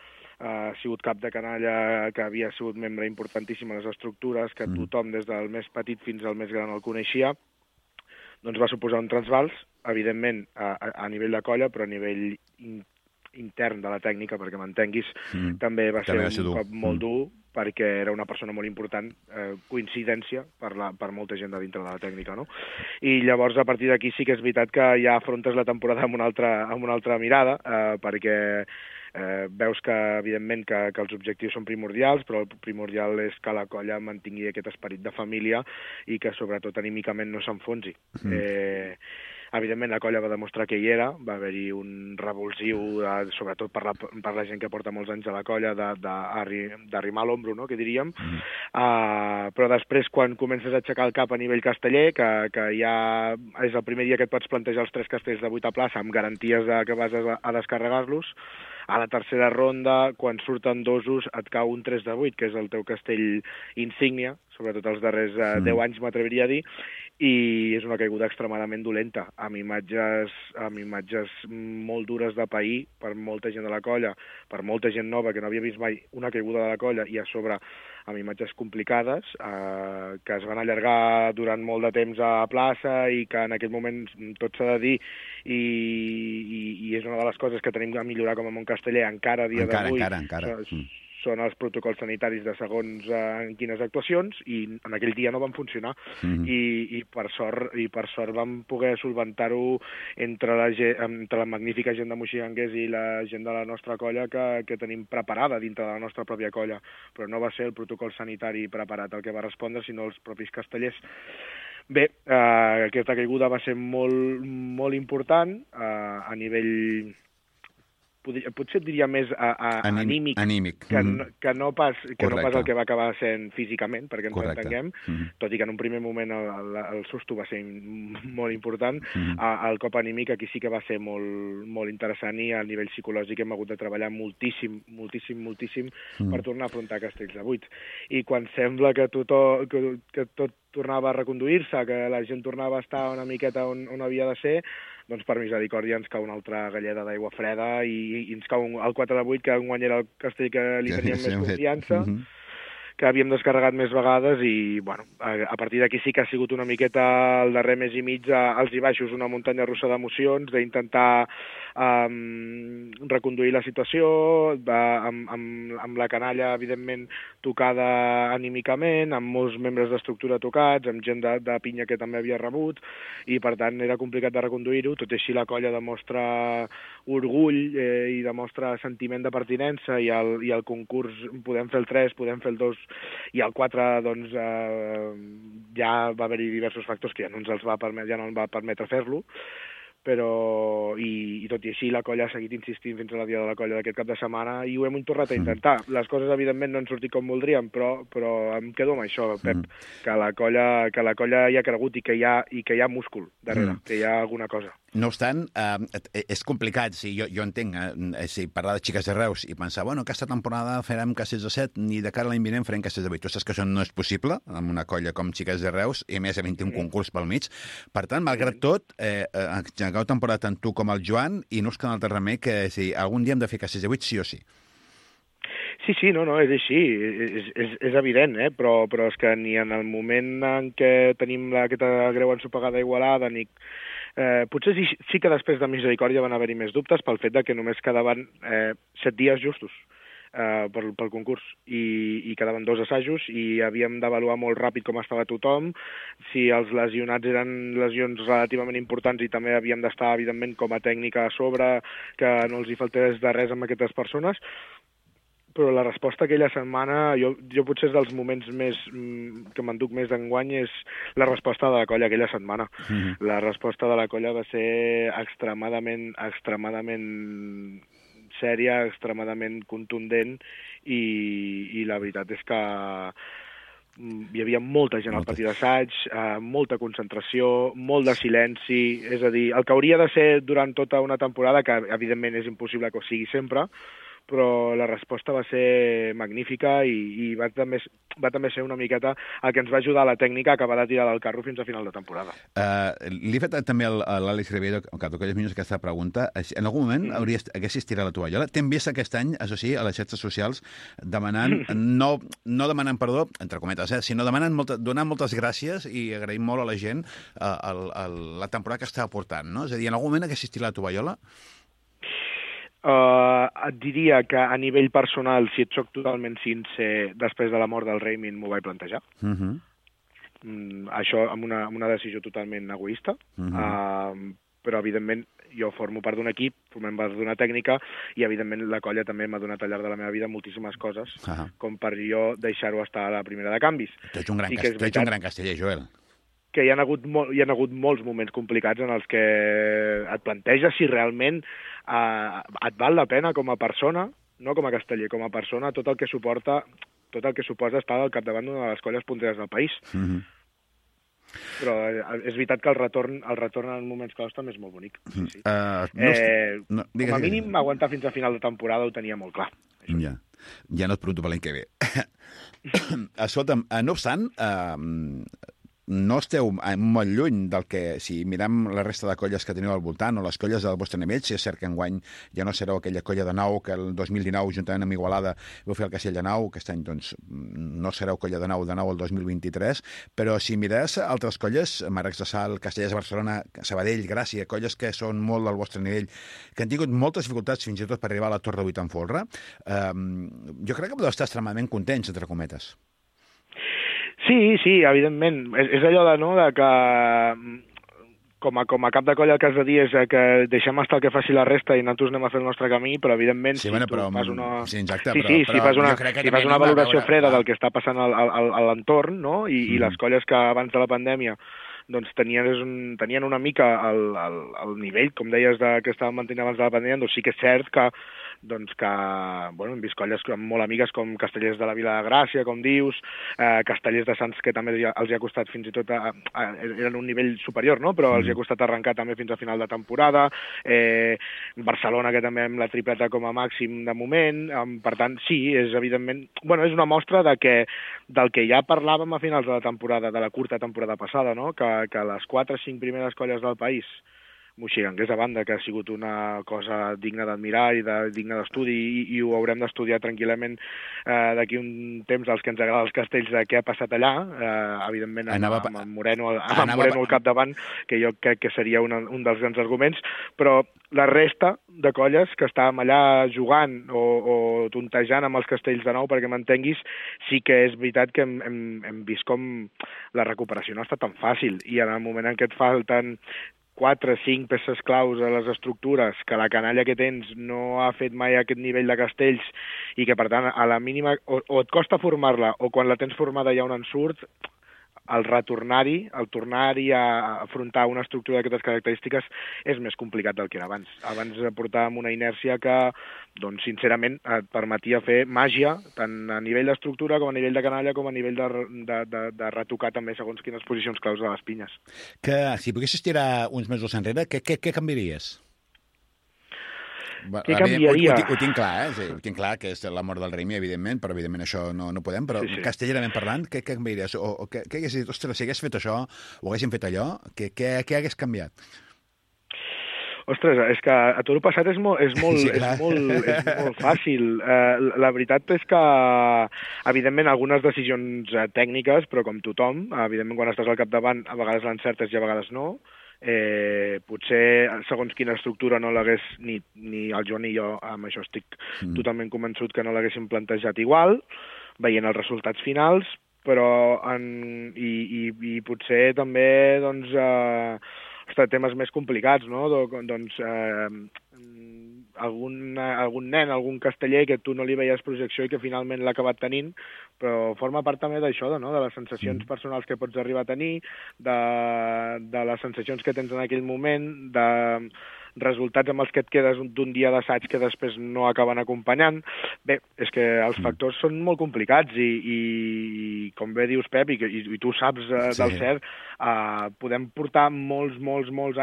Speaker 6: sigut cap de canalla, que havia sigut membre importantíssim a les estructures, que tothom, des del més petit fins al més gran, el coneixia. Doncs va suposar un trasbals, evidentment, a nivell de colla, però a nivell intern de la tècnica, perquè m'entenguis, també va ser un cop molt dur, perquè era una persona molt important, coincidència per molta gent de dintre de la tècnica, no? I llavors, a partir d'aquí, sí que és veritat que ja afrontes la temporada amb una altra mirada, perquè veus que, evidentment, que els objectius són primordials, però el primordial és que la colla mantingui aquest esperit de família i que, sobretot, anímicament no s'enfonsi. Evidentment, la colla va demostrar que hi era, va haver-hi un revulsiu, sobretot per la gent que porta molts anys a la colla, d'arrimar l'ombro, no?, que diríem. Però després, quan comences a aixecar el cap a nivell casteller, que ja és el primer dia que et pots plantejar els 3 castells de 8 a plaça amb garanties que vas a descarregar-los, a la tercera ronda, quan surten dosos, et cau un 3 de 8, que és el teu castell insígnia, sobretot els darrers 10 anys, m'atreviria a dir, i és una caiguda extremadament dolenta, amb imatges molt dures de pair per molta gent de la colla, per molta gent nova que no havia vist mai una caiguda de la colla, i a sobre amb imatges complicades, que es van allargar durant molt de temps a plaça i que en aquell moment tot s'ha de dir, i és una de les coses que tenim a millorar com a món casteller encara a dia d'avui.
Speaker 1: Encara.
Speaker 6: Són els protocols sanitaris de segons en quines actuacions, i en aquell dia no van funcionar. I per sort vam poder solventar-ho entre la magnífica gent de Moixiganguers i la gent de la nostra colla que tenim preparada dintre de la nostra pròpia colla. Però no va ser el protocol sanitari preparat el que va respondre, sinó els propis castellers. Bé, aquesta caiguda va ser molt, molt important a nivell... potser et diria més anímic, que no pas el que va acabar sent físicament, perquè ens entenguem, tot i que en un primer moment el susto va ser molt important. El cop anímic aquí sí que va ser molt interessant, i a nivell psicològic hem hagut de treballar moltíssim per tornar a afrontar Castells de 8. I quan sembla que tot tornava a reconduir-se, que la gent tornava a estar una miqueta on havia de ser, doncs per misericòrdia ens cau una altra galleda d'aigua freda i ens cau el 4 de 8, que enguany era el castell que li teníem més confiança, que havíem descarregat més vegades i, bueno, a partir d'aquí sí que ha sigut una miqueta el darrer mes i mig als i baixos, una muntanya russa d'emocions, d'intentar reconduir la situació, amb la canalla, evidentment, tocada anímicament, amb molts membres d'estructura tocats, amb gent de pinya que també havia rebut, i per tant era complicat de reconduir-ho, tot i així la colla demostra orgull i demostra sentiment de pertinença, i el concurs podem fer el 3, podem fer el 2, i el 4, doncs, ja va haver-hi diversos factors que ja no ens va permetre fer-lo, però i tot i així la colla ha seguit insistint fins a la dia de la colla d'aquest cap de setmana i ho hem tornat a intentar. Les coses evidentment no han sortit com voldríem, però em quedo amb això, Pep, que la colla hi ha cregut i que hi ha múscul darrere, que hi ha alguna cosa.
Speaker 1: No obstant, és complicat, jo entenc, parlar de xiques de Reus i pensar, bueno, aquesta temporada farem castells de 7 i de cara a l'any vinent farem castells de 8. Tu saps que això no és possible amb una colla com xiques de Reus i a més havent un concurs pel mig. Per tant, malgrat tot, engegueu temporada tant tu com el Joan i no us queda un altre remei que algun dia hem de fer castells de 8 sí o sí.
Speaker 6: Sí, no, és així, és evident, però és que ni en el moment en què tenim aquesta greu ensopegada a Igualada, ni potser sí que després de Misericòrdia van haver-hi més dubtes pel fet de que només quedaven 7 dies justos pel concurs i quedaven 2 assajos i havíem d'avaluar molt ràpid com estava tothom, si els lesionats eren lesions relativament importants i també havíem d'estar, evidentment, com a tècnica a sobre, que no els hi faltés de res amb aquestes persones. Però la resposta aquella setmana, jo potser és dels moments més que m'enduc més d'enguany, és la resposta de la colla aquella setmana. La resposta de la colla va ser extremadament sèria, extremadament contundent i la veritat és que hi havia molta gent al pati d'assaig, molta concentració, molt de silenci, és a dir, el que hauria de ser durant tota una temporada, que evidentment és impossible que ho sigui sempre, però la resposta va ser magnífica i va també ser una miqueta el que ens va ajudar a la tècnica a acabar de tirar del carro fins a final de temporada.
Speaker 1: Li he fet també a l'Àlex Ribeiro, que d'aquelles minuts aquesta pregunta. En algun moment haguessis tirat la tovallola? T'hem vist aquest any, això sí, a les xarxes socials, demanant, no demanant perdó, entre cometes, sinó donant moltes gràcies i agraïm molt a la gent la temporada que estava portant, no? És a dir, en algun moment haguessis tirat la tovallola?
Speaker 6: Et diria que a nivell personal, si et soc totalment sincer, després de la mort del Raymond m'ho vaig plantejar. Això amb una decisió totalment egoista, però evidentment jo formo part d'un equip, formem part d'una tècnica i evidentment la colla també m'ha donat al llarg de la meva vida moltíssimes coses, com per jo deixar-ho estar a la primera de canvis.
Speaker 1: Tu ets un gran casteller, Joel.
Speaker 6: Que hi ha hagut molts moments complicats en els que et planteges si realment et val la pena com a persona, no com a casteller, com a persona, tot el que suposa estar al capdavant d'una de les colles punteres del país. Però és veritat que el retorn en moments claus també és molt bonic. Sí. Com a mínim, aguantar fins a final de temporada ho tenia molt clar.
Speaker 1: Ja no et pregunto per l'any que ve. Escolta'm, no obstant, no esteu molt lluny del que, si mirem la resta de colles que teniu al voltant o les colles del vostre nivell, si és cert que enguany ja no sereu aquella colla de nou que el 2019, juntament amb Igualada, vau fer el castell de nou, aquest any doncs, no sereu colla de nou el 2023, però si mires altres colles, Marcs de Sal, Castellers de Barcelona, Sabadell, Gràcia, colles que són molt del vostre nivell, que han tingut moltes dificultats fins i tot per arribar a la Torre de Vuit en folre, jo crec que podeu estar extremadament contents, entre cometes.
Speaker 6: Sí, evidentment. És allò de que com a cap de colla el que has de dir és que deixem estar el que faci la resta i nosaltres anem a fer el nostre camí, però evidentment si fas una valoració freda del que està passant a l'entorn, no? I les colles que abans de la pandèmia doncs tenien una mica el nivell, com deies, que estaven mantenint abans de la pandèmia, doncs sí que és cert que hem vist colles molt amigues com Castellers de la Vila de Gràcia, com dius, Castellers de Sants, que també els hi ha costat fins i tot, eren un nivell superior, no? Però els hi ha costat arrencar també fins a final de temporada, Barcelona, que també amb la tripleta com a màxim de moment, per tant, sí, és evidentment, és una mostra del que ja parlàvem a finals de la temporada, de la curta temporada passada, no? Que les 4 o 5 primeres colles del país Moixigangués a banda, que ha sigut una cosa digna d'admirar i digna d'estudi, i ho haurem d'estudiar tranquil·lament d'aquí un temps als que ens agrada els castells de què ha passat allà, evidentment amb en Moreno al capdavant, que jo crec que seria un dels grans arguments, però la resta de colles que estàvem allà jugant o tontejant amb els castells de nou, perquè m'entenguis, sí que és veritat que hem vist com la recuperació no ha estat tan fàcil, i en el moment en què et falten 4 o 5 peces claus a les estructures, que la canalla que tens no ha fet mai aquest nivell de castells i que, per tant, a la mínima o et costa formar-la o quan la tens formada hi ha un ensurt, el tornar-hi a afrontar una estructura d'aquestes característiques és més complicat del que era abans. Abans portàvem una inèrcia que, doncs, sincerament, et permetia fer màgia, tant a nivell d'estructura com a nivell de canalla com a nivell de retocar també segons quines posicions claus de les pinyes.
Speaker 1: Que si poguessis tirar uns mesos enrere, què canviaries?
Speaker 6: Què canviaria?
Speaker 1: Ho tinc clar, ho tinc clar, que és la mort del Raimi, evidentment, però evidentment això no podem, però sí. Castellerament parlant, què canviaries? O què hagués dit, ostres, si hagués fet això, o haguéssim fet allò, què hagués canviat?
Speaker 6: Ostres, és que a tot el passat és molt fàcil. La veritat és que, evidentment, algunes decisions tècniques, però com tothom, evidentment, quan estàs al capdavant, a vegades l'encertes i a vegades no. Potser segons quina estructura no l'hagués ni el Joan ni jo, amb això estic totalment convençut que no l'haguéssim plantejat igual, veient els resultats finals, però i potser també doncs temes més complicats, no? Doncs algun nen, algun casteller que tu no li veies projecció i que finalment l'ha acabat tenint, però forma part també d'això, no? De les sensacions personals que pots arribar a tenir, de les sensacions que tens en aquell moment, de resultats amb els que et quedes d'un dia d'assaig que després no acaben acompanyant. Bé, és que els factors són molt complicats i com bé dius, Pep, i tu saps del cert, podem portar molts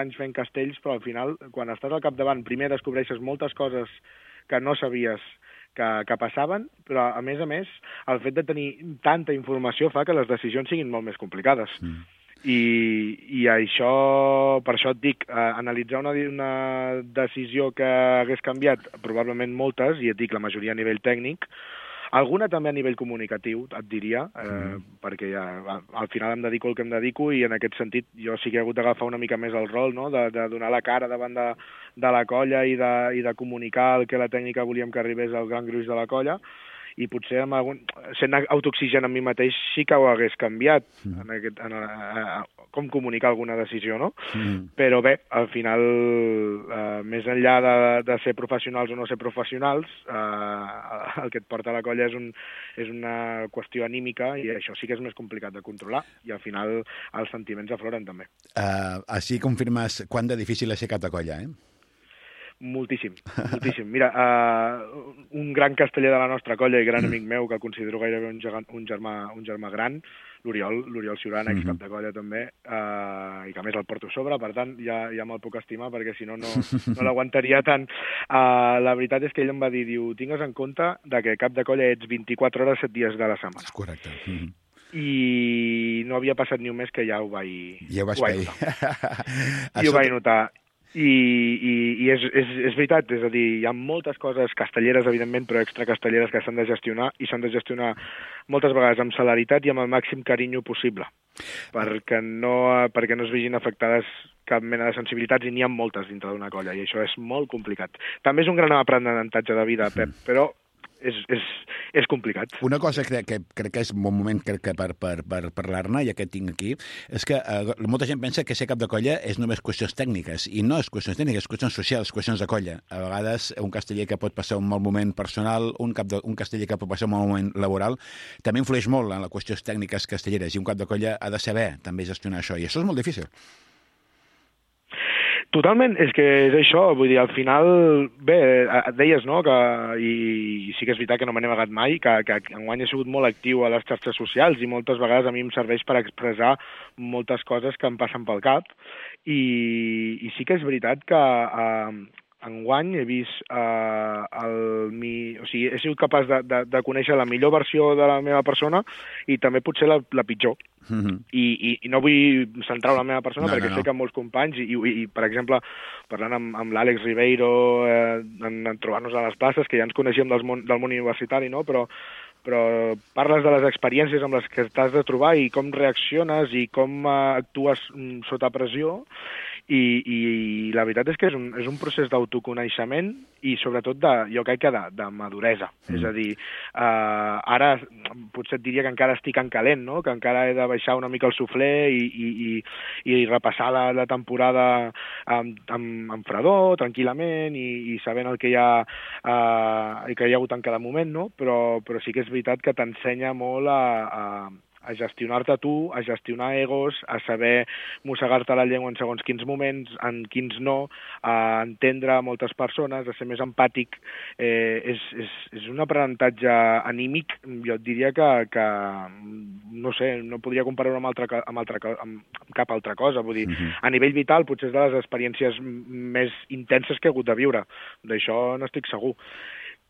Speaker 6: anys fent castells, però al final, quan estàs al capdavant, primer descobreixes moltes coses que no sabies que passaven, però a més, el fet de tenir tanta informació fa que les decisions siguin molt més complicades. I això, per això et dic, analitzar una decisió que hagués canviat, probablement moltes, i et dic la majoria a nivell tècnic, alguna també a nivell comunicatiu, et diria, perquè al final em dedico al que em dedico i en aquest sentit jo sí que he hagut d'agafar una mica més el rol, no? De donar la cara davant de la colla i de comunicar el que la tècnica volíem que arribés al gran gruix de la colla, i potser sent autooxigen amb mi mateix sí que ho hagués canviat com comunicar alguna decisió, no? Però bé, al final, més enllà de ser professionals o no ser professionals, el que et porta a la colla és una qüestió anímica i això sí que és més complicat de controlar i al final els sentiments afloren també.
Speaker 1: Així confirmes quant de difícil és ser cap de colla,
Speaker 6: Moltíssim. Mira, un gran casteller de la nostra colla i gran amic meu, que el considero gairebé un germà gran, l'Oriol Ciurana, ex-cap de colla també, i que a més el porto a sobre, per tant, ja me'l puc estimar, perquè si no l'aguantaria tant. La veritat és que ell em va dir, tingues en compte que cap de colla ets 24 hores, 7 dies de la setmana.
Speaker 1: És correcte.
Speaker 6: I no havia passat ni un mes que ja ho vaig notar. I és veritat, és a dir, hi ha moltes coses castelleres, evidentment, però extracastelleres que s'han de gestionar i s'han de gestionar moltes vegades amb celeritat i amb el màxim carinyo possible, perquè no es vegin afectades cap mena de sensibilitats i n'hi ha moltes dintre d'una colla i això és molt complicat. També és un gran aprenentatge de vida, Pep, però és complicat.
Speaker 1: Una cosa que crec que és un bon moment per parlar-ne, ja que tinc aquí, és que molta gent pensa que ser cap de colla és només qüestions tècniques, i no és qüestions tècniques, és qüestions socials, qüestions de colla. A vegades un casteller que pot passar un mal moment personal, un casteller que pot passar un mal moment laboral, també influeix molt en les qüestions tècniques castelleres, i un cap de colla ha de saber també gestionar això, i això és molt difícil.
Speaker 6: Totalment, és que és això, vull dir, al final, bé, et deies, no?, i sí que és veritat que no me n'he amagat mai, que enguany he sigut molt actiu a les xarxes socials i moltes vegades a mi em serveix per expressar moltes coses que em passen pel cap i sí que és veritat que enguany he vist o sigui, he sigut capaç de conèixer la millor versió de la meva persona i també potser la pitjor. I no vull centrar la meva persona perquè sé que molts companys, i per exemple, parlant amb l'Àlex Ribeiro, en trobar-nos a les places, que ja ens coneixíem del món universitari, no? Però parles de les experiències amb les que t'has de trobar i com reacciones i com actues sota pressió, i la veritat és que és un procés d'autoconeixement i sobretot jo crec que de maduresa. És a dir, ara potser et diria que encara estic en calent, no? Que encara he de baixar una mica el suflé i repassar la temporada amb fredor, tranquil·lament, i sabent el que hi ha i que hi ha hagut en cada moment, no? Però sí que és veritat que t'ensenya molt a gestionar-te tu, a gestionar egos, a saber mossegar-te la llengua en segons quins moments, en quins no, a entendre moltes persones, a ser més empàtic. És un aprenentatge anímic, jo et diria que no sé, no podria comparar-ho amb cap altra cosa. Vull dir, a nivell vital potser és de les experiències més intenses que he hagut de viure. D'això n'estic segur.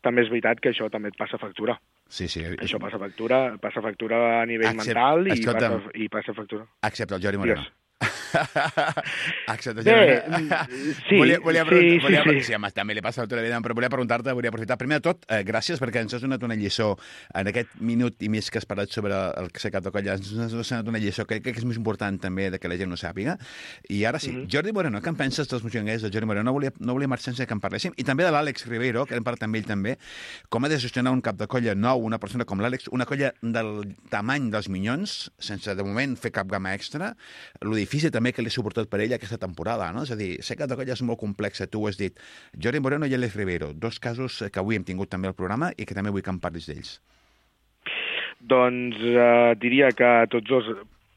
Speaker 6: També és veritat que això també et passa factura.
Speaker 1: Sí.
Speaker 6: Això passa factura a nivell mental i passa factura.
Speaker 1: Excepte el Jordi Moreno. Excepte
Speaker 6: sí.
Speaker 1: Sí, també li passa factura, però volia preguntar-te, volia aprofitar. Primer de tot, gràcies perquè ens has donat una lliçó en aquest minut i mig que has parlat sobre el cap de colla. Ens has donat una lliçó que crec que és més important també que la gent no sàpiga. I ara sí, Jordi Moreno, què en penses dels moixonguers del Jordi Moreno? No volia marxar sense que en parléssim. I també de l'Àlex Ribeiro, que hem parlat amb ell també, com ha de gestionar un cap de colla nou, una persona com l'Àlex, una colla del tamany dels Minyons, sense de moment fer cap gamma extra, lo difícil també que li ha suportat per ell aquesta temporada, no? És a dir, sé que la colla és molt complexa, tu ho has dit. Jordi Moreno i Àlex Ribeiro, dos casos que avui hem tingut també al programa i que també vull que em parlis d'ells.
Speaker 6: Doncs diria que tots dos,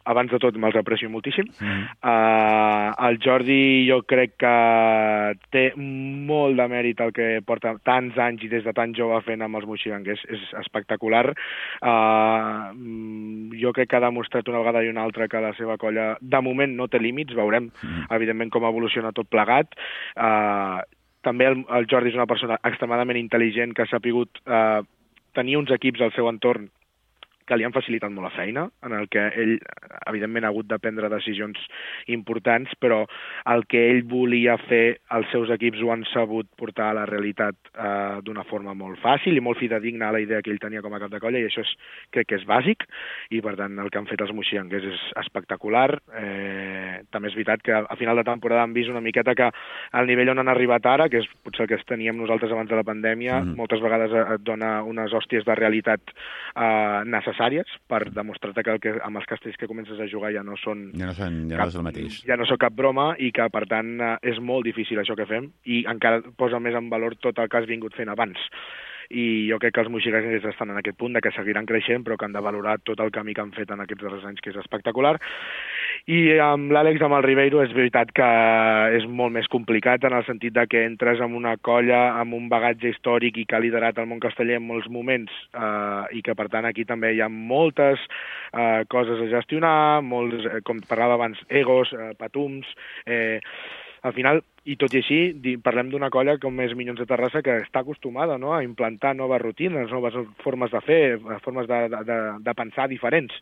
Speaker 6: abans de tot, me'ls aprecio moltíssim. El Jordi jo crec que té molt de mèrit el que porta tants anys i des de tan jove fent amb els moixiganguers. És espectacular. Jo crec que ha demostrat una vegada i una altra que la seva colla de moment no té límits. Veurem, evidentment, com evoluciona tot plegat. També el Jordi és una persona extremadament intel·ligent que ha sapigut tenir uns equips al seu entorn que li han facilitat molt la feina, en el que ell, evidentment, ha hagut de prendre decisions importants, però el que ell volia fer, els seus equips ho han sabut portar a la realitat d'una forma molt fàcil i molt fidedigna a la idea que ell tenia com a cap de colla, i això crec que és bàsic, i per tant el que han fet els moixiganguers és espectacular. També és veritat que a final de temporada han vist una miqueta que al nivell on han arribat ara, que és potser el que teníem nosaltres abans de la pandèmia, moltes vegades et dona unes hòsties de realitat necessàries per demostrar-te que amb els castells que comences a jugar ja no és el mateix. Ja no són cap broma i que, per tant, és molt difícil això que fem i encara posa més en valor tot el que has vingut fent abans. I jo crec que els moixiganguers estan en aquest punt de que seguiran creixent, però que han de valorar tot el camí que han fet en aquests darrers anys, que és espectacular. I amb l'Àlex, amb el Ribeiro, és veritat que és molt més complicat en el sentit de que entres en una colla amb un bagatge històric i que ha liderat el món casteller en molts moments i que, per tant, aquí també hi ha moltes coses a gestionar, molts, com parlava abans, egos, patums. Al final, i tot i així, parlem d'una colla com és Minyons de Terrassa que està acostumada, no?, a implantar noves rutines, noves formes de fer, formes de pensar diferents.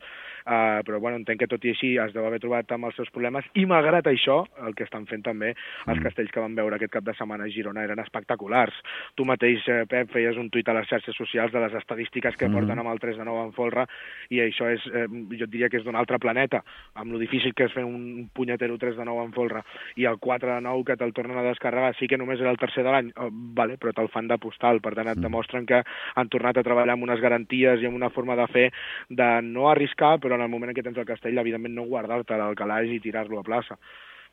Speaker 6: Però bueno, entenc que tot i així es deu haver trobat amb els seus problemes i malgrat això, el que estan fent també els castells que vam veure aquest cap de setmana a Girona eren espectaculars. Tu mateix, Pep, feies un tuit a les xarxes socials de les estadístiques que porten amb el 3-9 en folre i això és, jo diria que és d'un altre planeta, amb lo difícil que és fer un punyetero 3-9 en folre i el 4-9 que te'l tornen a descarregar, sí que només era el tercer de l'any, vale, però te'l fan de postal, per tant et demostren que han tornat a treballar amb unes garanties i amb una forma de fer de no arriscar, però en el moment en què tens el castell, evidentment no guardar-te al calaix i tirar-lo a plaça.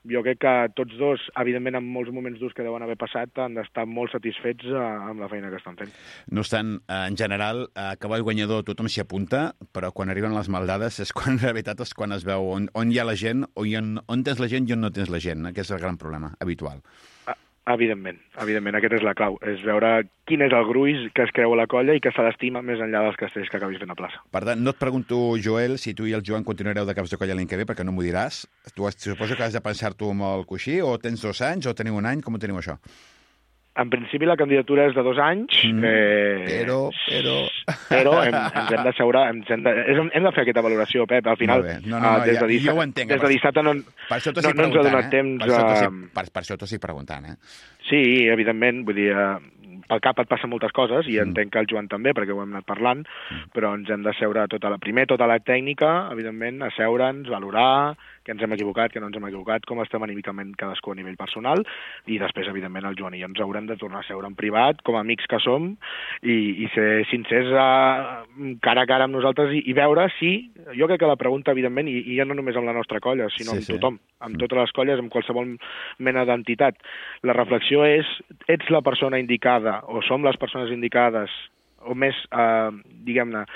Speaker 6: Jo crec que tots dos, evidentment, en molts moments durs que deuen haver passat, han d'estar molt satisfets amb la feina que estan fent.
Speaker 1: No obstant, en general, a cavall guanyador tothom s'hi apunta, però quan arriben les maldades és quan, la veritat, és quan es veu on hi ha la gent, on tens la gent i on no tens la gent. Aquest és el gran problema habitual.
Speaker 6: Evidentment, aquesta és la clau, és veure quin és el gruix que es creu a la colla i que se l'estima més enllà dels castells que acabis fent a plaça.
Speaker 1: Per tant, no et pregunto, Joel, si tu i el Joan continuareu de caps de colla l'any que ve, perquè no m'ho diràs. Tu suposo que has de pensar-t'ho amb el coixí, o tens 2 anys, o teniu 1 any, com ho teniu això?
Speaker 6: En principi la candidatura és de 2 anys, però ens hem d'asseure, hem de fer aquesta valoració, Pep. Al final, des de dissabte no ens ha donat temps...
Speaker 1: Per això t'ho estic preguntant,
Speaker 6: Sí, evidentment, vull dir, pel cap et passen moltes coses, i entenc que el Joan també, perquè ho hem anat parlant, però ens hem d'asseure tota la tècnica, evidentment, asseure'ns, valorar que ens hem equivocat, que no ens hem equivocat, com estem anímicament cadascú a nivell personal, i després, evidentment, el Joan i jo ens haurem de tornar a seure en privat, com a amics que som, i ser sincers cara a cara amb nosaltres i veure si... Jo crec que la pregunta, evidentment, i ja no només amb la nostra colla, sinó amb tothom, amb totes les colles, amb qualsevol mena d'entitat. La reflexió és, ets la persona indicada, o som les persones indicades, o més, diguem-ne,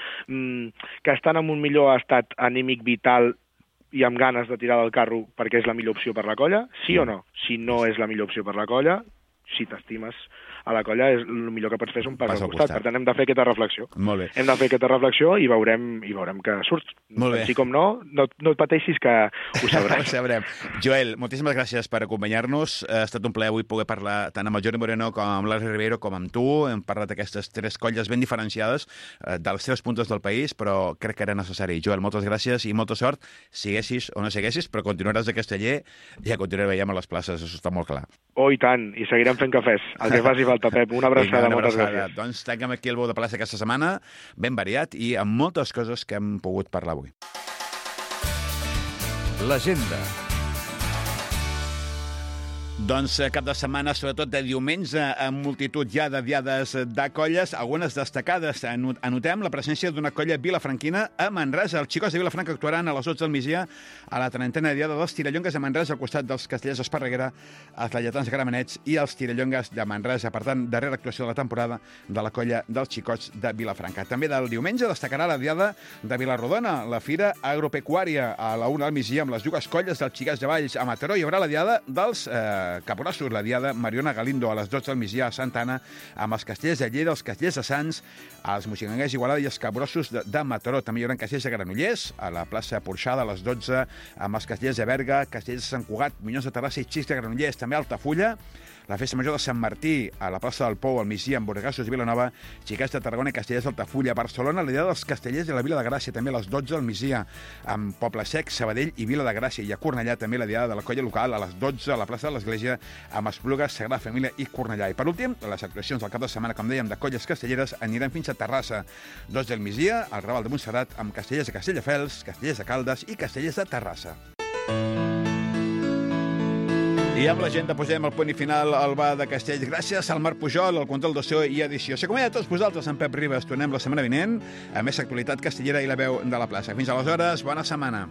Speaker 6: que estan en un millor estat anímic vital i amb ganes de tirar del carro perquè és la millor opció per la colla, sí o no? Si no és la millor opció per la colla, si t'estimes a la colla, és el millor que pots fer és un pas al costat. Per tant, hem de fer aquesta reflexió.
Speaker 1: Molt bé.
Speaker 6: Hem de fer aquesta reflexió i veurem que surt.
Speaker 1: Molt bé.
Speaker 6: Així com no et pateixis que ho sabrem.
Speaker 1: Ho sabrem. Joel, moltíssimes gràcies per acompanyar-nos. Ha estat un plaer avui poder parlar tant amb el Jordi Moreno com amb l'Alri Ribeiro com amb tu. Hem parlat d'aquestes 3 colles ben diferenciades dels 3 punts del país, però crec que era necessari. Joel, moltes gràcies i molta sort. Siguessis o no siguessis, però continuaràs a Casteller i ja continuarem veient a les places, això està molt clar.
Speaker 6: Oh, i tant, i seguirem fent cafès. El que faci falta, Pep. Una abraçada, moltes gràcies.
Speaker 1: Doncs tanquem aquí el Bou de Plaça aquesta setmana, ben variat i amb moltes coses que hem pogut parlar avui.
Speaker 2: L'agenda.
Speaker 1: Doncs cap de setmana, sobretot de diumenge, amb multitud ja de diades de colles, algunes destacades. Anotem la presència d'una colla vilafranquina a Manresa. Els xicots de Vilafranca actuaran a les 12 del migdia a la 30a diada dels Tirallongues de Manresa, al costat dels Castellers d'Esparreguera, els Lleidatans Gramenets i els Tirallongues de Manresa. Per tant, darrera actuació de la temporada de la colla dels xicots de Vilafranca. També del diumenge destacarà la diada de Vilarrodona, la fira agropecuària a la 1 del migdia amb les dues colles dels Xicats de Valls. A Mataró hi haurà la diada dels Caporossos, la diada Mariona Galindo a les 12 del migdia a Santa Anna, amb els Castellers de Lleida, els Castellers de Sants, els Moixigangers d'Igualada i els Caporossos de Mataró. També hi haurà Castellers de Granollers, a la plaça Porxada a les 12, amb els Castellers de Berga, Castellers de Sant Cugat, Minyons de Terrassa i Xics de Granollers. També a Altafulla, la festa major de Sant Martí, a la plaça del Pou, al migdia, amb Borgassos i Vilanova, Xicats de Tarragona i Castellers d'Altafulla. A Barcelona, la diada dels Castellers de la Vila de Gràcia, també a les 12 del migdia, amb Poble Sec, Sabadell i Vila de Gràcia. I a Cornellà, també la diada de la colla local, a les 12, a la plaça de l'Església, amb Esplugues, Sagrada Família i Cornellà. I per últim, les actuacions del cap de setmana, com dèiem, de colles castelleres aniran fins a Terrassa. 2 del migdia, al Raval de Montserrat, amb Castellers de Castelldefels, Castellers de Caldes i Castellers de Terrassa. I amb l'agenda posem el punt i final al bar de Castells. Gràcies al Marc Pujol, al control de so i edició. S'acomiada a tots vosaltres, en Pep Ribas. Tornem la setmana vinent a més actualitat castellera i la veu de la plaça. Fins aleshores, bona setmana.